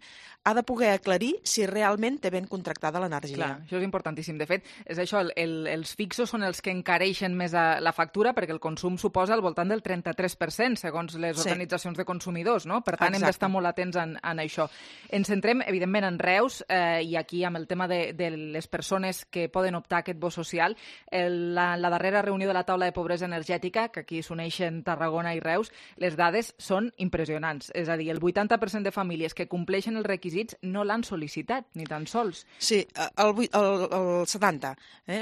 ha de poder aclarir si realment té ben contractada l'energia. Clar, això és importantíssim. De fet, és això, els fixos són els que encareixen més la factura perquè el consum suposa al voltant del 33%, segons les organitzacions de consumidors, no? Per tant, hem d'estar molt atents en això. Ens centrem, evidentment, en Reus i aquí amb el tema de les persones que poden optar a aquest bo social. La darrera reunió de la taula de pobresa energètica, que aquí s'uneixen Tarragona i Reus, les dades són impressionants. És a dir, el 80% de famílies que compleixen els requisits no l'han sol·licitat, ni tan sols. Sí, el 70%.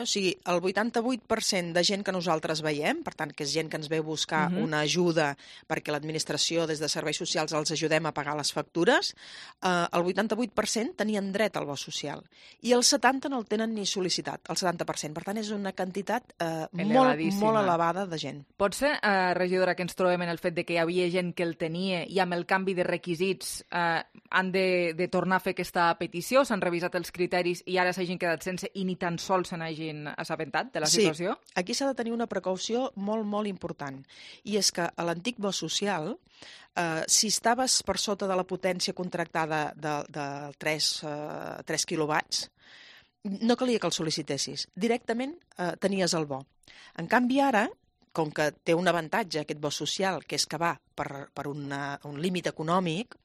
O sigui, el 88% de gent que nosaltres veiem, per tant, que és gent que ens ve a buscar una ajuda perquè l'administració, des de serveis socials, els ajudem a pagar les factures, el 88% tenien dret al bo social. I el 70% no el tenen ni sol·licitat, el 70%. Per tant, és una quantitat molt elevada de gent. Pot ser, regidora, que ens trobem en el fet de que hi havia gent que el tenia i amb el canvi de requisits han de tornar a fer aquesta petició, s'han revisat els criteris i ara s'hagin quedat sense i ni tan sols se n'hagin assabentat de la situació? Sí, aquí s'ha de tenir una precaució molt, molt important. I és que a l'antic bo social, si estaves per sota de la potència contractada de 3 quilowatts, no calia que el sol·licitessis. Directament tenies el bo. En canvi, ara, com que té un avantatge aquest bo social, que és que va per un límit econòmic,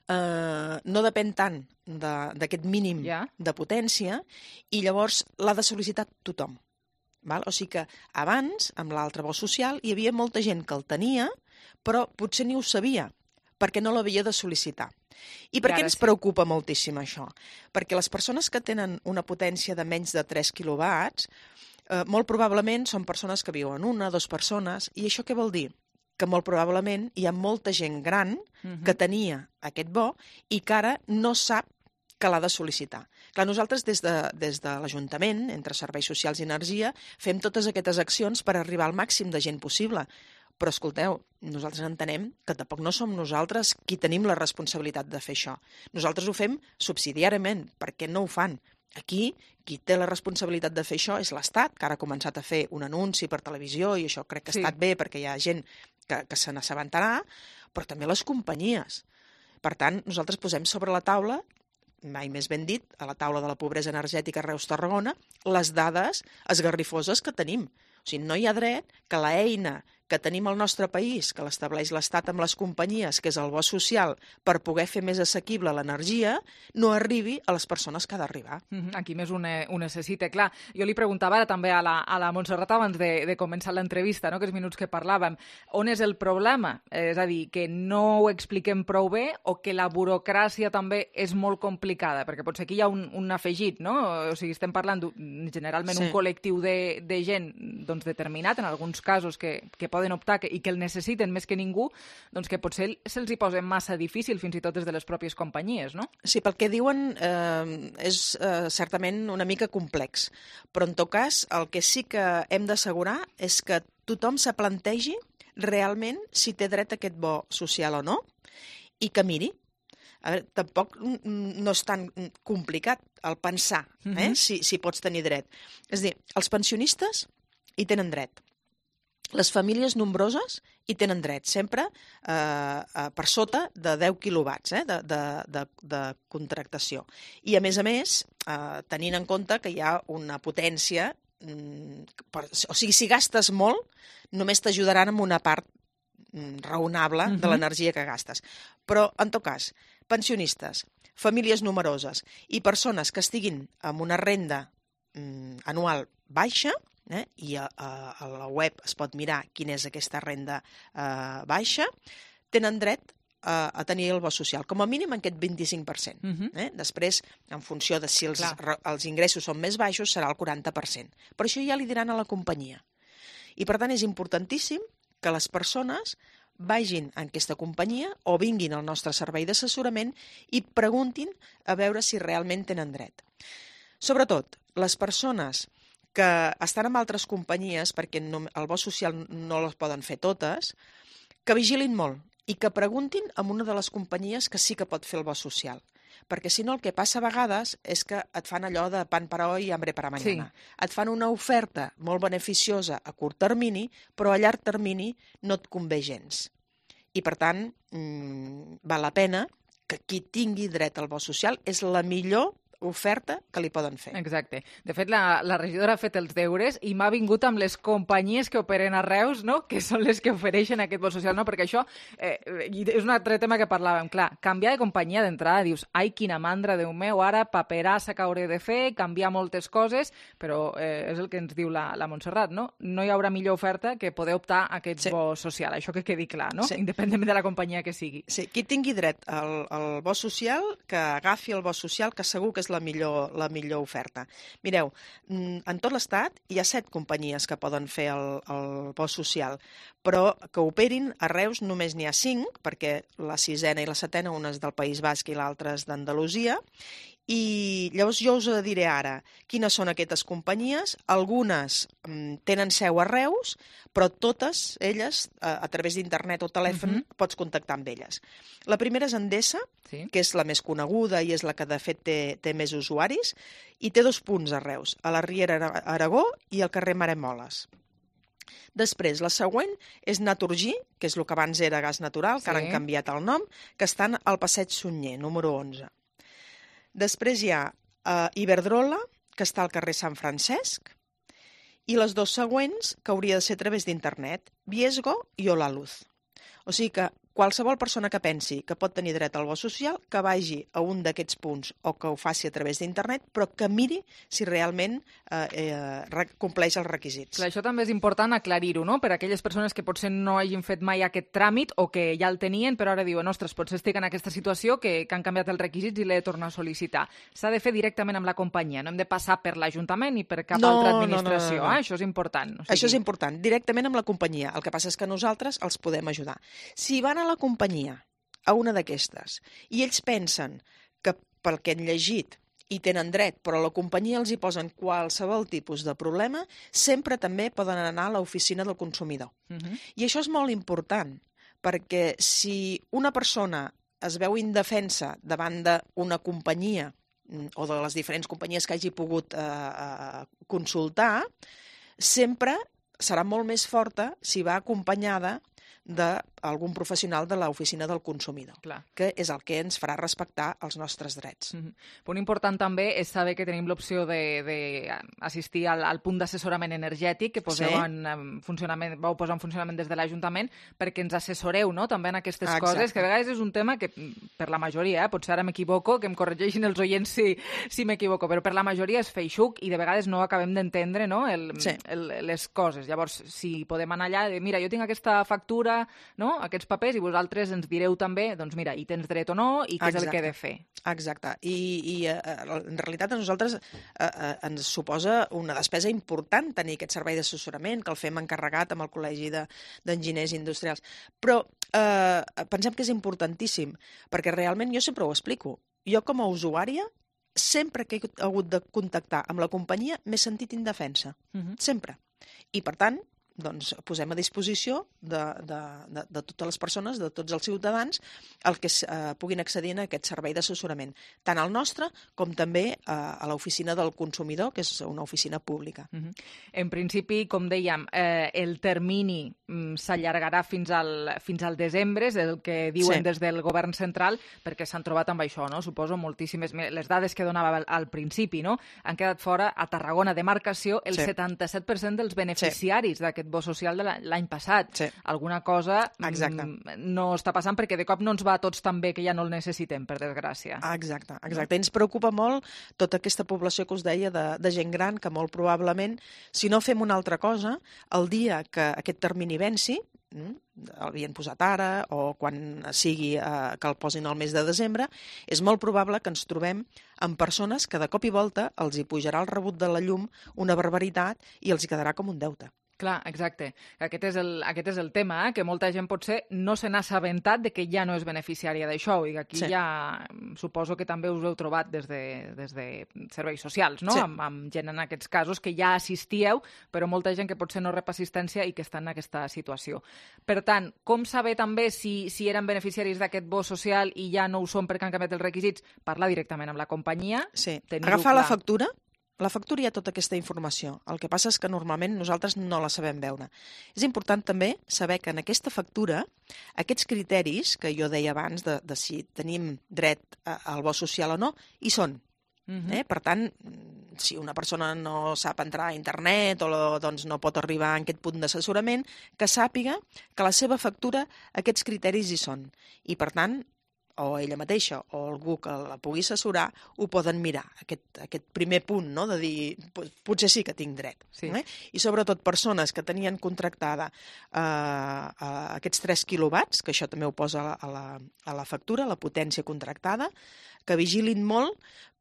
no depèn tant d'aquest mínim de potència i llavors l'ha de sol·licitar tothom. O sigui que abans, amb l'altre bo social, hi havia molta gent que el tenia, però potser ni ho sabia, perquè no l'havia de sol·licitar. I per què ens preocupa moltíssim això? Perquè les persones que tenen una potència de menys de 3 quilowatts molt probablement són persones que viuen 1 o 2 persones, i això què vol dir? Que molt probablement hi ha molta gent gran que tenia aquest bo i que ara no sap que l'ha de sol·licitar. Clar, nosaltres des de l'Ajuntament, entre Serveis Socials i Energia, fem totes aquestes accions per arribar al màxim de gent possible. Però escolteu, nosaltres entenem que tampoc no som nosaltres qui tenim la responsabilitat de fer això. Nosaltres ho fem subsidiàriament, perquè no ho fan. Aquí, qui té la responsabilitat de fer això és l'Estat, que ara ha començat a fer un anunci per televisió, i això crec que ha estat bé perquè hi ha gent que se n'assabentarà, però també les companyies. Per tant, nosaltres posem sobre la taula, mai més ben dit, a la taula de la pobresa energètica Reus-Tarragona, les dades esgarrifoses que tenim. O sigui, no hi ha dret que l'eina que tenim al nostre país, que l'estableix l'Estat amb les companyies, que és el bo social, per poder fer més assequible l'energia, no arribi a les persones que ha d'arribar. Aquí més ho necessita, clar. Jo li preguntava ara també a la Montserrat abans de començar l'entrevista, no? Aquests minuts que parlàvem, on és el problema? És a dir, que no ho expliquem prou bé o que la burocràcia també és molt complicada? Perquè potser aquí hi ha un afegit, no? O sigui, estem parlant generalment un col·lectiu de gent determinat, en alguns casos que poden optar i que el necessiten més que ningú, doncs que potser se'ls hi posa massa difícil, fins i tot des de les pròpies companyies, no? Sí, pel que diuen és certament una mica complex, però en tot cas el que sí que hem d'assegurar és que tothom se plantegi realment si té dret a aquest bo social o no, i que miri. A veure, tampoc no és tan complicat el pensar si pots tenir dret. És a dir, els pensionistes hi tenen dret. Les famílies nombroses hi tenen dret, sempre per sota de 10 quilowatts de contractació. I, a més, tenint en compte que hi ha una potència, o sigui, si gastes molt, només t'ajudaran amb una part raonable de l'energia que gastes. Però, en tot cas, pensionistes, famílies numeroses i persones que estiguin amb una renda anual baixa, i a la web es pot mirar quina és aquesta renda baixa, tenen dret a tenir el bo social, com a mínim en aquest 25%. Després, en funció de si els ingressos són més baixos, serà el 40%. Però això ja li diran a la companyia. I, per tant, és importantíssim que les persones vagin a aquesta companyia o vinguin al nostre servei d'assessorament i preguntin a veure si realment tenen dret. Sobretot, les persones que estan amb altres companyies, perquè el bo social no les poden fer totes, que vigilin molt i que preguntin a una de les companyies que sí que pot fer el bo social. perquè si no el que passa a vegades és que et fan allò de pan para hoy y hambre para mañana. Et fan una oferta molt beneficiosa a curt termini, però a llarg termini no et convé gens. I per tant, val la pena que qui tingui dret al bo social és la millor oferta que li poden fer. Exacte. De fet, la regidora ha fet els deures i m'ha vingut amb les companyies que operen a Reus, no?, que són les que ofereixen aquest bo social, no? Perquè això és un altre tema que parlàvem. Clar, canviar de companyia d'entrada, dius, ai, quina mandra, Déu meu, ara paperassa que hauré de fer, canviar moltes coses, però és el que ens diu la Montserrat, no? No hi haurà millor oferta que poder optar a aquest bo social, això que quedi clar, no? Independentment de la companyia que sigui. Sí, qui tingui dret al bo social, que agafi el bo social, que segur que és la millor oferta. Mireu, en tot l'Estat hi ha 7 companyies que poden fer el bo social, però que operin a Reus només n'hi ha 5, perquè la 6ena i la 7ena, una és del País Basc i l'altra és d'Andalusia, i llavors jo us diré ara quines són aquestes companyies. Algunes tenen seu a Reus, però totes elles, a través d'internet o telèfon, pots contactar amb elles. La primera és Endesa, que és la més coneguda i és la que de fet té més usuaris, i té 2 punts a Reus, a la Riera Aragó i al carrer Maremoles. Després, la següent és Naturgy, que és el que abans era Gas Natural, que ara han canviat el nom, que estan al Passeig Sunyer, número 11. Després hi ha Iberdrola, que està al carrer Sant Francesc, i les 2 següents, que hauria de ser a través d'internet, Viesgo i Holaluz. O sigui que qualsevol persona que pensi que pot tenir dret al bo social, que vagi a un d'aquests punts o que ho faci a través d'internet, però que miri si realment compleix els requisits. Clar, això també és important aclarir-ho, no?, per a aquelles persones que potser no hagin fet mai aquest tràmit o que ja el tenien, però ara diuen, ostres, potser estic en aquesta situació que han canviat els requisits i l'he de tornar a sol·licitar. S'ha de fer directament amb la companyia, no hem de passar per l'Ajuntament ni per cap altra administració. No. Això és important. Això és important, directament amb la companyia. El que passa és que nosaltres els podem ajudar. Si van a la companyia, a una d'aquestes, i ells pensen que pel que han llegit hi tenen dret, però a la companyia els hi posen qualsevol tipus de problema, sempre també poden anar a l'oficina del consumidor. I això és molt important, perquè si una persona es veu indefensa davant d'una companyia o de les diferents companyies que hagi pogut consultar, sempre serà molt més forta si va acompanyada d'algun professional de l'oficina del consumidor, que és el que ens farà respectar els nostres drets. Punt important també és saber que tenim l'opció d'assistir al punt d'assessorament energètic que poseu en funcionament, vau posar en funcionament des de l'Ajuntament, perquè ens assessoreu, no?, també en aquestes coses, que a vegades és un tema que per la majoria, potser ara m'equivoco, que em corregeixin els oients si m'equivoco, però per la majoria és feixuc i de vegades no acabem d'entendre, no?, les coses. Llavors, si podem anar allà, mira, jo tinc aquesta factura, no?, aquests papers, i vosaltres ens direu també, doncs mira, hi tens dret o no, i què és el que he de fer. Exacte. I en realitat a nosaltres ens suposa una despesa important tenir aquest servei d'assessorament, que el fem encarregat amb el Col·legi d'Enginyers Industrials. Però pensem que és importantíssim, perquè realment jo sempre ho explico. Jo com a usuària, sempre que he hagut de contactar amb la companyia, m'he sentit indefensa. Sempre. I per tant, doncs posem a disposició de totes les persones, de tots els ciutadans, el que puguin accedir a aquest servei d'assessorament, tant al nostre com també a l'oficina del consumidor, que és una oficina pública. En principi, com dèiem, el termini s'allargarà fins al desembre, és el que diuen des del govern central, perquè s'han trobat amb això, no? Suposo moltíssimes... Les dades que donava al principi, no?, han quedat fora a Tarragona demarcació el 77% dels beneficiaris d'aquest bo social de l'any passat. Alguna cosa no està passant perquè de cop no ens va a tots tan bé que ja no el necessitem, per desgràcia. Exacte. Ens preocupa molt tota aquesta població que us deia de gent gran que molt probablement, si no fem una altra cosa, el dia que aquest termini venci, l'havien posat ara o quan sigui que el posin al mes de desembre, és molt probable que ens trobem amb persones que de cop i volta els hi pujarà el rebut de la llum una barbaritat i els hi quedarà com un deute. Clar, exacte. Aquest és el tema, que molta gent potser no se n'ha assabentat de que ja no és beneficiària d'això, i aquí ja suposo que també us heu trobat des de serveis socials, no? Amb gent en aquests casos que ja assistíeu, però molta gent que potser no rep assistència i que està en aquesta situació. Per tant, com saber també si eren beneficiaris d'aquest bo social i ja no ho són perquè han canviat els requisits? Parlar directament amb la companyia. Sí, agafar la factura. La factura hi ha tota aquesta informació. El que passa és que normalment nosaltres no la sabem veure. És important també saber que en aquesta factura aquests criteris que jo deia abans de si tenim dret al bo social o no, hi són. Per tant, si una persona no sap entrar a internet o doncs no pot arribar a aquest punt d'assessorament, que sàpiga que la seva factura aquests criteris hi són. I per tant, o ella mateixa o algú que la pugui assessorar ho poden mirar, aquest primer punt, no? De dir, potser sí que tinc dret. I sobretot persones que tenien contractada aquests 3 quilowatts, que això també ho posa a la factura, la potència contractada, que vigilin molt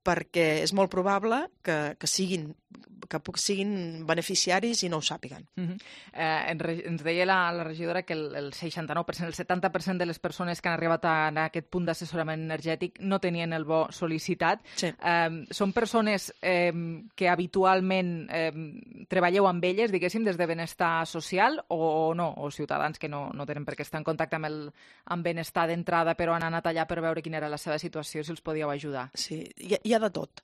perquè és molt probable que siguin beneficiaris i no ho sàpiguen. Ens deia la regidora que el 69%, el 70% de les persones que han arribat a aquest punt d'assessorament energètic no tenien el bo sol·licitat. Són persones que habitualment treballeu amb elles, diguéssim, des de benestar social o no? O ciutadans que no tenen per què estar en contacte amb benestar d'entrada però han anat allà per veure quina era la seva situació, si els podíeu ajudar? Sí, hi ha de tot.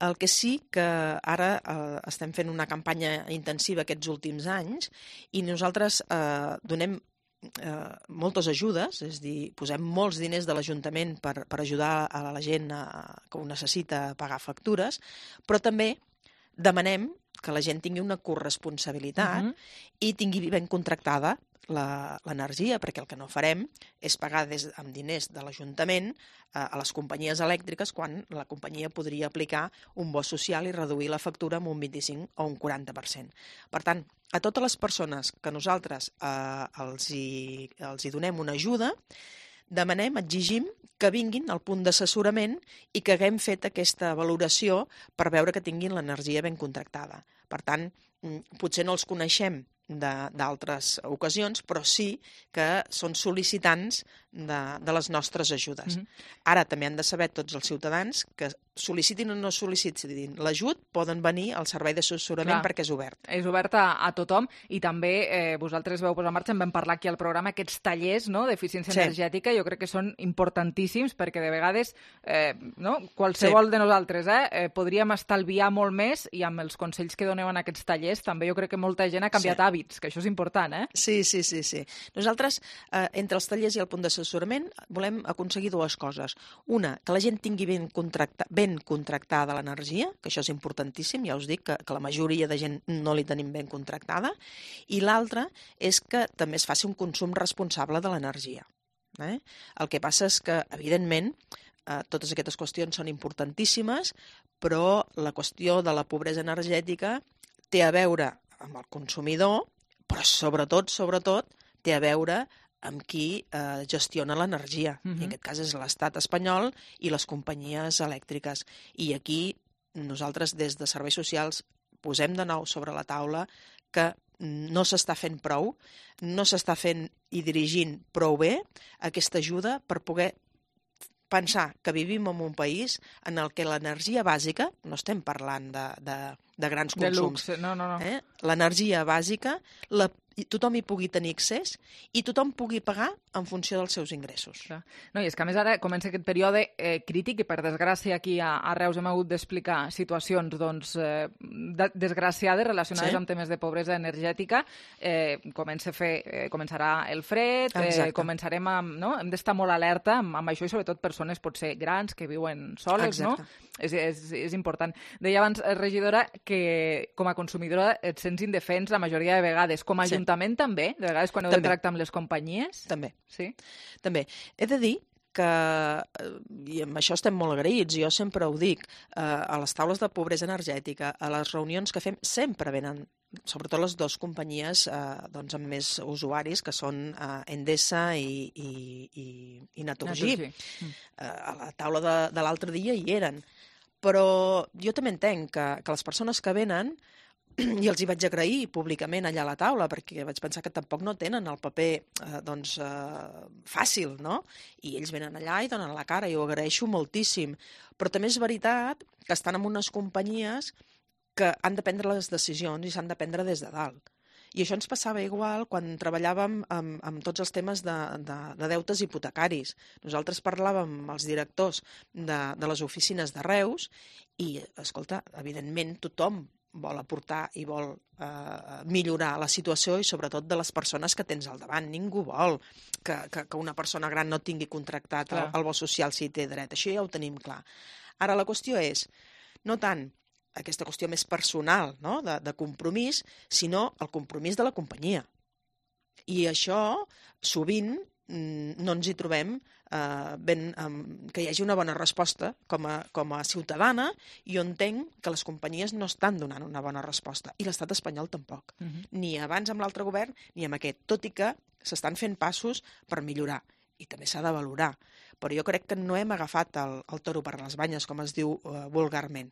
El que sí que ara estem fent una campanya intensiva aquests últims anys i nosaltres donem moltes ajudes, és a dir, posem molts diners de l'Ajuntament per ajudar a la gent que ho necessita pagar factures, però també demanem que la gent tingui una corresponsabilitat i tingui ben contractada l'energia, perquè el que no farem és pagar amb diners de l'Ajuntament a les companyies elèctriques quan la companyia podria aplicar un bo social i reduir la factura amb un 25 o un 40%. Per tant, a totes les persones que nosaltres els hi donem una ajuda, demanem, exigim que vinguin al punt d'assessorament i que haguem fet aquesta valoració per veure que tinguin l'energia ben contractada. Per tant, potser no els coneixem d'altres ocasions, però sí que són sol·licitants de les nostres ajudes. Ara també han de saber tots els ciutadans que sol·licitin o no sol·licitin l'ajut, poden venir al servei d'assessorament perquè és obert. És obert a tothom i també vosaltres veu posar en marxa, en vam parlar aquí al programa, aquests tallers d'eficiència energètica, jo crec que són importantíssims perquè de vegades qualsevol de nosaltres podríem estalviar molt més i amb els consells que doneu en aquests tallers també jo crec que molta gent ha canviat hàbits, que això és important, Sí. Nosaltres, entre els tallers i el punt d'assessorament, volem aconseguir dues coses. Una, que la gent tingui ben contractada l'energia, que això és importantíssim, ja us dic que la majoria de gent no li tenim ben contractada, i l'altra és que també es faci un consum responsable de l'energia. El que passa és que, evidentment, totes aquestes qüestions són importantíssimes, però la qüestió de la pobresa energètica té a veure amb el consumidor, però sobretot, té a veure amb qui gestiona l'energia. I en aquest cas és l'Estat espanyol i les companyies elèctriques. I aquí nosaltres, des de serveis socials, posem de nou sobre la taula que no s'està fent prou, no s'està fent i dirigint prou bé aquesta ajuda per poder pensar que vivim en un país en el que l'energia bàsica, no estem parlant de grans consums, l'energia bàsica, tothom hi pugui tenir accés i tothom pugui pagar en funció dels seus ingressos. No, i és que a més ara comença aquest període crític i per desgràcia aquí a Reus hem hagut d'explicar situacions desgraciades relacionades amb temes de pobresa energètica. Començarà el fred, hem d'estar molt alerta amb això i sobretot persones potser grans que viuen soles, no? És important. Deia abans, regidora, que com a consumidora et sents indefens la majoria de vegades. Com a Ajuntament també? De vegades quan heu de tractar amb les companyies? També. Sí? També. He de dir que, i amb això estem molt agraïts, jo sempre ho dic, a les taules de pobresa energètica, a les reunions que fem, sempre venen, sobretot les dues companyies amb més usuaris, que són Endesa i Naturgy. A la taula de l'altre dia hi eren. Però jo també entenc que les persones que venen i els hi vaig agrair públicament allà a la taula, perquè vaig pensar que tampoc no tenen el paper fàcil, no? I ells venen allà i donen la cara, i ho agraeixo moltíssim. Però també és veritat que estan en unes companyies que han de prendre les decisions i s'han de prendre des de dalt. I això ens passava igual quan treballàvem amb tots els temes de deutes hipotecaris. Nosaltres parlàvem amb els directors de les oficines de Reus i, escolta, evidentment tothom vol aportar i vol millorar la situació i sobretot de les persones que tens al davant. Ningú vol que una persona gran no tingui contractat el bo social si té dret. Això ja ho tenim clar. Ara la qüestió és no tant aquesta qüestió més personal, no? de compromís, sinó el compromís de la companyia. I això sovint no ens hi trobem que hi hagi una bona resposta com a ciutadana, i jo entenc que les companyies no estan donant una bona resposta, i l'estat espanyol tampoc. Ni abans amb l'altre govern ni amb aquest, tot i que s'estan fent passos per millorar, i també s'ha de valorar. Però jo crec que no hem agafat el toro per les banyes, com es diu vulgarment.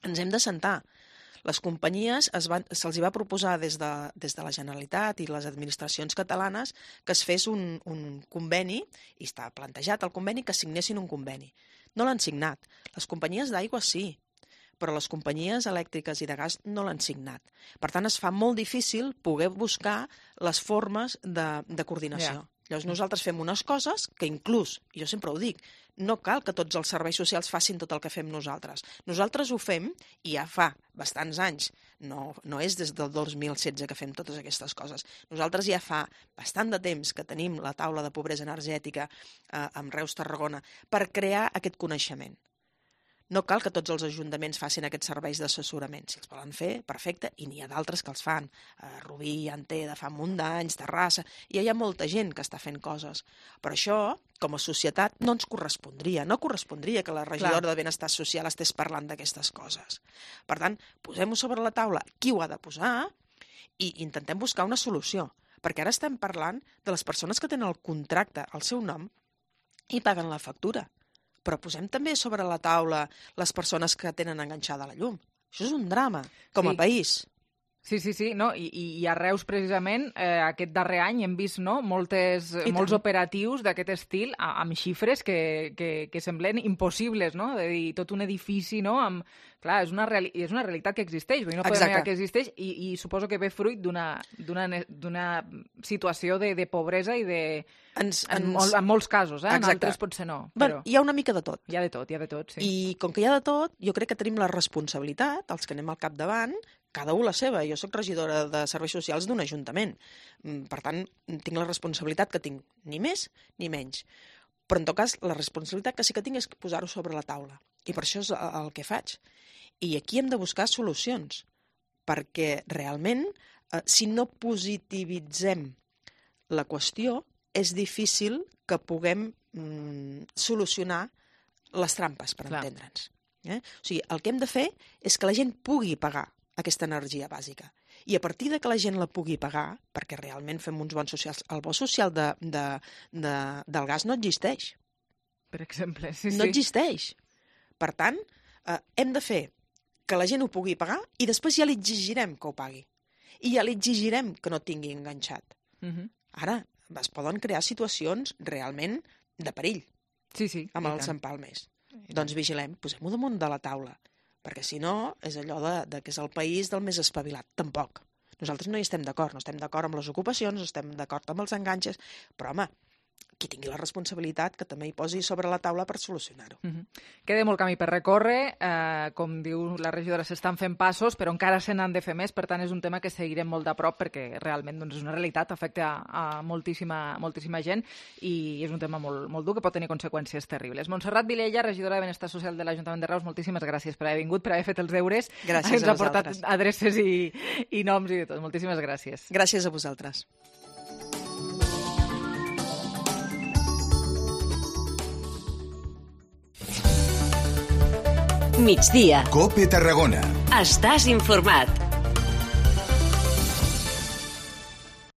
Ens hem de sentar. Les companyies se'ls va proposar des de la Generalitat i les administracions catalanes que es fes un conveni, i està plantejat el conveni, que signessin un conveni. No l'han signat. Les companyies d'aigua sí, però les companyies elèctriques i de gas no l'han signat. Per tant, es fa molt difícil poder buscar les formes de coordinació. Llavors nosaltres fem unes coses que inclús, jo sempre ho dic, no cal que tots els serveis socials facin tot el que fem nosaltres. Nosaltres ho fem, i ja fa bastants anys, no és des del 2016 que fem totes aquestes coses. Nosaltres ja fa bastant de temps que tenim la taula de pobresa energètica amb Reus Tarragona per crear aquest coneixement. No cal que tots els ajuntaments facin aquests serveis d'assessorament. Si els volen fer, perfecte, i n'hi ha d'altres que els fan. Rubí en té de fa un munt d'anys, Terrassa, i hi ha molta gent que està fent coses. Però això, com a societat, no ens correspondria. No correspondria que la regidora de Benestar Social estés parlant d'aquestes coses. Per tant, posem-ho sobre la taula qui ho ha de posar i intentem buscar una solució. Perquè ara estem parlant de les persones que tenen el contracte al seu nom i paguen la factura. Però posem també sobre la taula les persones que tenen enganxada la llum. Això és un drama, com a país. Sí, no? I a Reus, precisament, aquest darrer any hem vist molts operatius d'aquest estil amb xifres que semblen impossibles, no? De dir, tot un edifici, no? Clar, és una realitat que existeix, no podem negar que existeix, i suposo que ve fruit d'una situació de pobresa i en molts casos, en altres potser no. Però hi ha una mica de tot. Hi ha de tot, sí. I com que hi ha de tot, jo crec que tenim la responsabilitat, els que anem al capdavant, cada un la seva. Jo soc regidora de Serveis Socials d'un ajuntament. Per tant, tinc la responsabilitat que tinc, ni més ni menys. Però, en tot cas, la responsabilitat que sí que tinc és posar-ho sobre la taula. I per això és el que faig. I aquí hem de buscar solucions. Perquè, realment, si no positivitzem la qüestió, és difícil que puguem solucionar les trampes, per entendre'ns. O sigui, el que hem de fer és que la gent pugui pagar aquesta energia bàsica. I a partir de que la gent la pugui pagar, perquè realment fem uns bons socials, el bo social del gas no existeix. Per exemple, No existeix. Per tant, hem de fer que la gent ho pugui pagar i després ja li exigirem que ho pagui. I ja li exigirem que no tingui enganxat. Ara, es poden crear situacions realment de perill amb els empalmes. Doncs vigilem, posem-ho damunt de la taula. Perquè si no, és allò que és el país del més espavilat. Tampoc. Nosaltres no hi estem d'acord. No estem d'acord amb les ocupacions, no estem d'acord amb els enganxes, però, home, qui tingui la responsabilitat que també hi posi sobre la taula per solucionar-ho. Queda molt camí per recórrer, com diu la regidora, s'estan fent passos, però encara se n'han de fer més, per tant és un tema que seguirem molt de prop perquè realment és una realitat, afecta a moltíssima gent i és un tema molt dur que pot tenir conseqüències terribles. Montserrat Vilella, regidora de Benestar Social de l'Ajuntament de Reus, moltíssimes gràcies per haver vingut, per haver fet els deures. Gràcies a vosaltres. Ens ha portat adreces i noms i de tot. Moltíssimes gràcies. Gràcies a vosaltres. Migdia. COPE Tarragona. Estàs informat.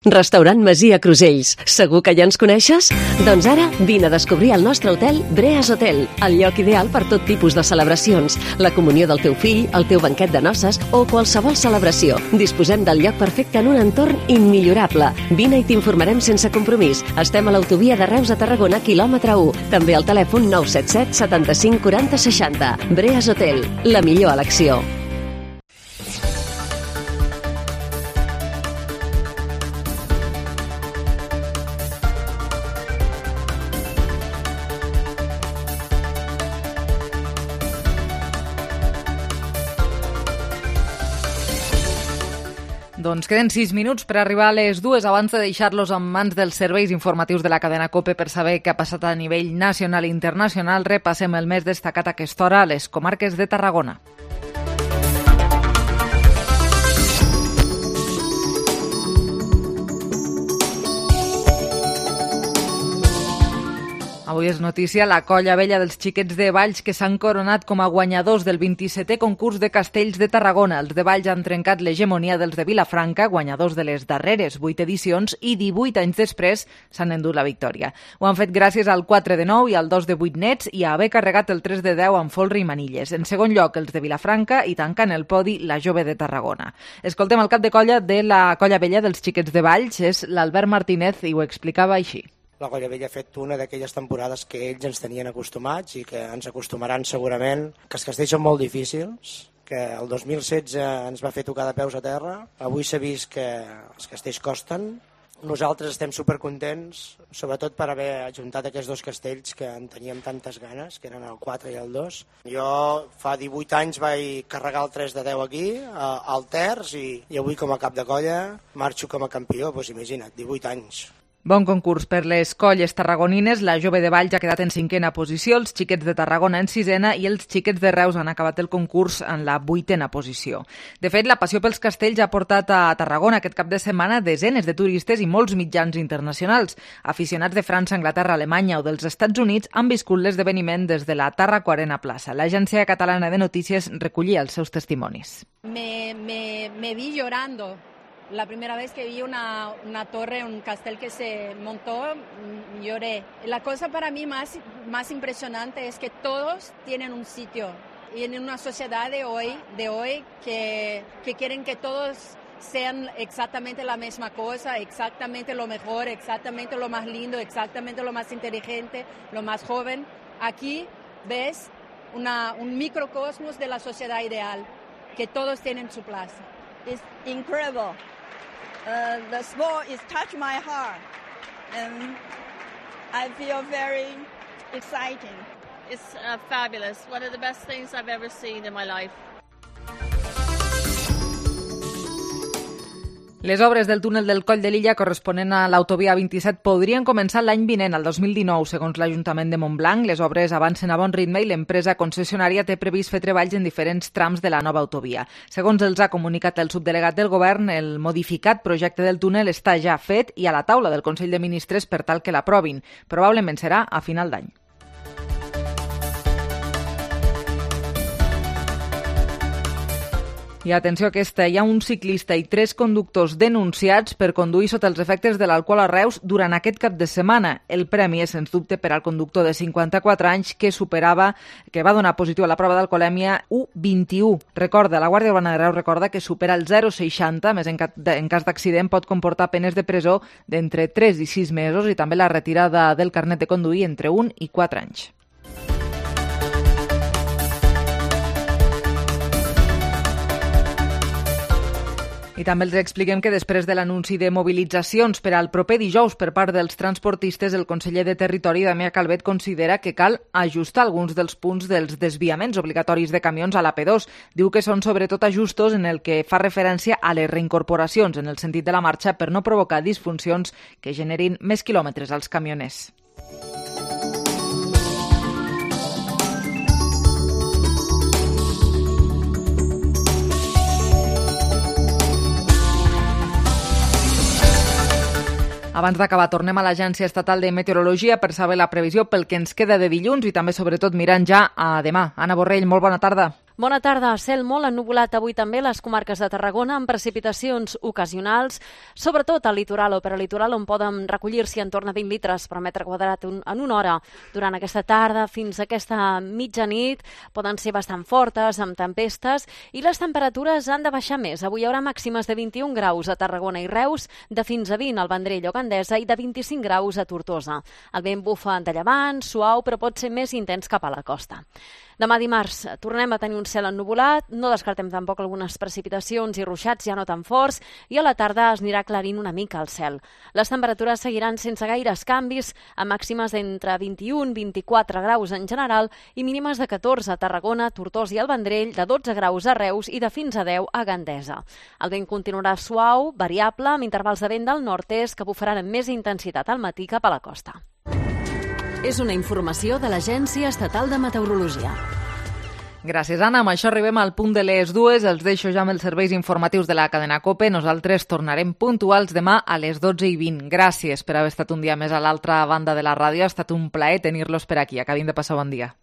Restaurant Masia Crusells. Segur que ja ens coneixes? Doncs ara vine a descobrir el nostre hotel Breas Hotel, el lloc ideal per tot tipus de celebracions, la comunió del teu fill, el teu banquet de noces o qualsevol celebració. Disposem del lloc perfecte en un entorn immillorable. Vine i t'informarem sense compromís. Estem a l'autovia de Reus a Tarragona, quilòmetre 1. També al telèfon 977 75 40 60. Breas Hotel, la millor elecció. Doncs queden 6 minuts per arribar a les 2 abans de deixar-los en mans dels serveis informatius de la cadena COPE per saber què ha passat a nivell nacional i internacional. Repassem el més destacat a aquesta hora a les comarques de Tarragona. Avui és notícia la colla vella dels xiquets de Valls que s'han coronat com a guanyadors del 27è concurs de castells de Tarragona. Els de Valls han trencat l'hegemonia dels de Vilafranca, guanyadors de les darreres 8 edicions, i 18 anys després s'han endut la victòria. Ho han fet gràcies al 4 de 9 i al 2 de 8 nets i a haver carregat el 3 de 10 amb folre i manilles. En segon lloc, els de Vilafranca i tancant el podi la jove de Tarragona. Escoltem el cap de colla de la colla vella dels xiquets de Valls, és l'Albert Martínez, i ho explicava així. La Colla Vella ha fet una d'aquelles temporades que ells ens tenien acostumats i que ens acostumaran segurament, que els castells són molt difícils, que el 2016 ens va fer tocar de peus a terra, avui s'ha vist que els castells costen. Nosaltres estem supercontents, sobretot per haver ajuntat aquests dos castells que en teníem tantes ganes, que eren el 4 i el 2. Jo fa 18 anys vaig carregar el 3 de 10 aquí, al terç, i avui com a cap de colla marxo com a campió, doncs imagina't, 18 anys. Bon concurs per les colles tarragonines. La jove de Valls ha quedat en 5a posició, els xiquets de Tarragona en 6a i els xiquets de Reus han acabat el concurs en la 8a posició. De fet, la passió pels castells ha portat a Tarragona aquest cap de setmana desenes de turistes i molts mitjans internacionals. Aficionats de França, Anglaterra, Alemanya o dels Estats Units han viscut l'esdeveniment des de la Tarraco Arena Plaça. L'Agència Catalana de Notícies recollia els seus testimonis. Me vi llorando. La primera vez que vi una torre, un castel que se montó, lloré. La cosa para mí más impresionante es que todos tienen un sitio. Y en una sociedad de hoy que quieren que todos sean exactamente la misma cosa, exactamente lo mejor, exactamente lo más lindo, exactamente lo más inteligente, lo más joven. Aquí ves un microcosmos de la sociedad ideal, que todos tienen su plaza. It's incredible. The sport is touched my heart, and I feel very exciting. It's fabulous. One of the best things I've ever seen in my life. Les obres del túnel del Coll de Lilla corresponent a l'autovia 27 podrien començar l'any vinent, el 2019, segons l'Ajuntament de Montblanc. Les obres avancen a bon ritme i l'empresa concessionària té previst fer treballs en diferents trams de la nova autovia. Segons els ha comunicat el subdelegat del Govern, el modificat projecte del túnel està ja fet i a la taula del Consell de Ministres per tal que l'aprovin. Probablement serà a final d'any. I atenció aquesta, hi ha un ciclista i 3 conductors denunciats per conduir sota els efectes de l'alcohol a Reus durant aquest cap de setmana. El premi és, sens dubte, per al conductor de 54 anys que va donar positiu a la prova d'alcoholèmia U21. Recorda, la Guàrdia Urbana de Reus recorda que supera el 0,60, més en cas d'accident pot comportar penes de presó d'entre 3 i 6 mesos i també la retirada del carnet de conduir entre 1 i 4 anys. I també els expliquem que després de l'anunci de mobilitzacions per al proper dijous per part dels transportistes, el conseller de Territori, Damià Calvet, considera que cal ajustar alguns dels punts dels desviaments obligatoris de camions a l'AP2. Diu que són sobretot ajustos en el que fa referència a les reincorporacions en el sentit de la marxa per no provocar disfuncions que generin més quilòmetres als camioners. Abans d'acabar, tornem a l'Agència Estatal de Meteorologia per saber la previsió pel que ens queda de dilluns i també, sobretot, mirant ja a demà. Anna Borrell, molt bona tarda. Bona tarda. Cel molt ennuvolat avui també a les comarques de Tarragona amb precipitacions ocasionals, sobretot al litoral o peralitoral on poden recollir-s'hi en torn a 20 litres per metre quadrat en una hora. Durant aquesta tarda fins a aquesta mitjanit poden ser bastant fortes, amb tempestes, i les temperatures han de baixar més. Avui hi haurà màximes de 21 graus a Tarragona i Reus, de fins a 20 al Vendrell o Gandesa i de 25 graus a Tortosa. El vent bufa de llevant, suau, però pot ser més intens cap a la costa. Demà dimarts tornem a tenir un cel ennuvolat, no descartem tampoc algunes precipitacions i ruixats ja no tan forts, i a la tarda es anirà aclarint una mica el cel. Les temperatures seguiran sense gaires canvis, amb màximes d'entre 21 i 24 graus en general i mínimes de 14 a Tarragona, Tortosa i el Vendrell, de 12 graus a Reus i de fins a 10 a Gandesa. El vent continuarà suau, variable, amb intervals de vent del nord-est que bufaran amb més intensitat al matí cap a la costa. És una informació de l'Agència Estatal de Meteorologia. Gràcies, Anna. Amb això arribem al punt de les 2. Els deixo ja amb els serveis informatius de la cadena COPE. Nosaltres tornarem puntuals demà a les 12:20. Gràcies per haver estat un dia més a l'altra banda de la ràdio. Ha estat un plaer tenir-los per aquí. Acabin de passar bon dia.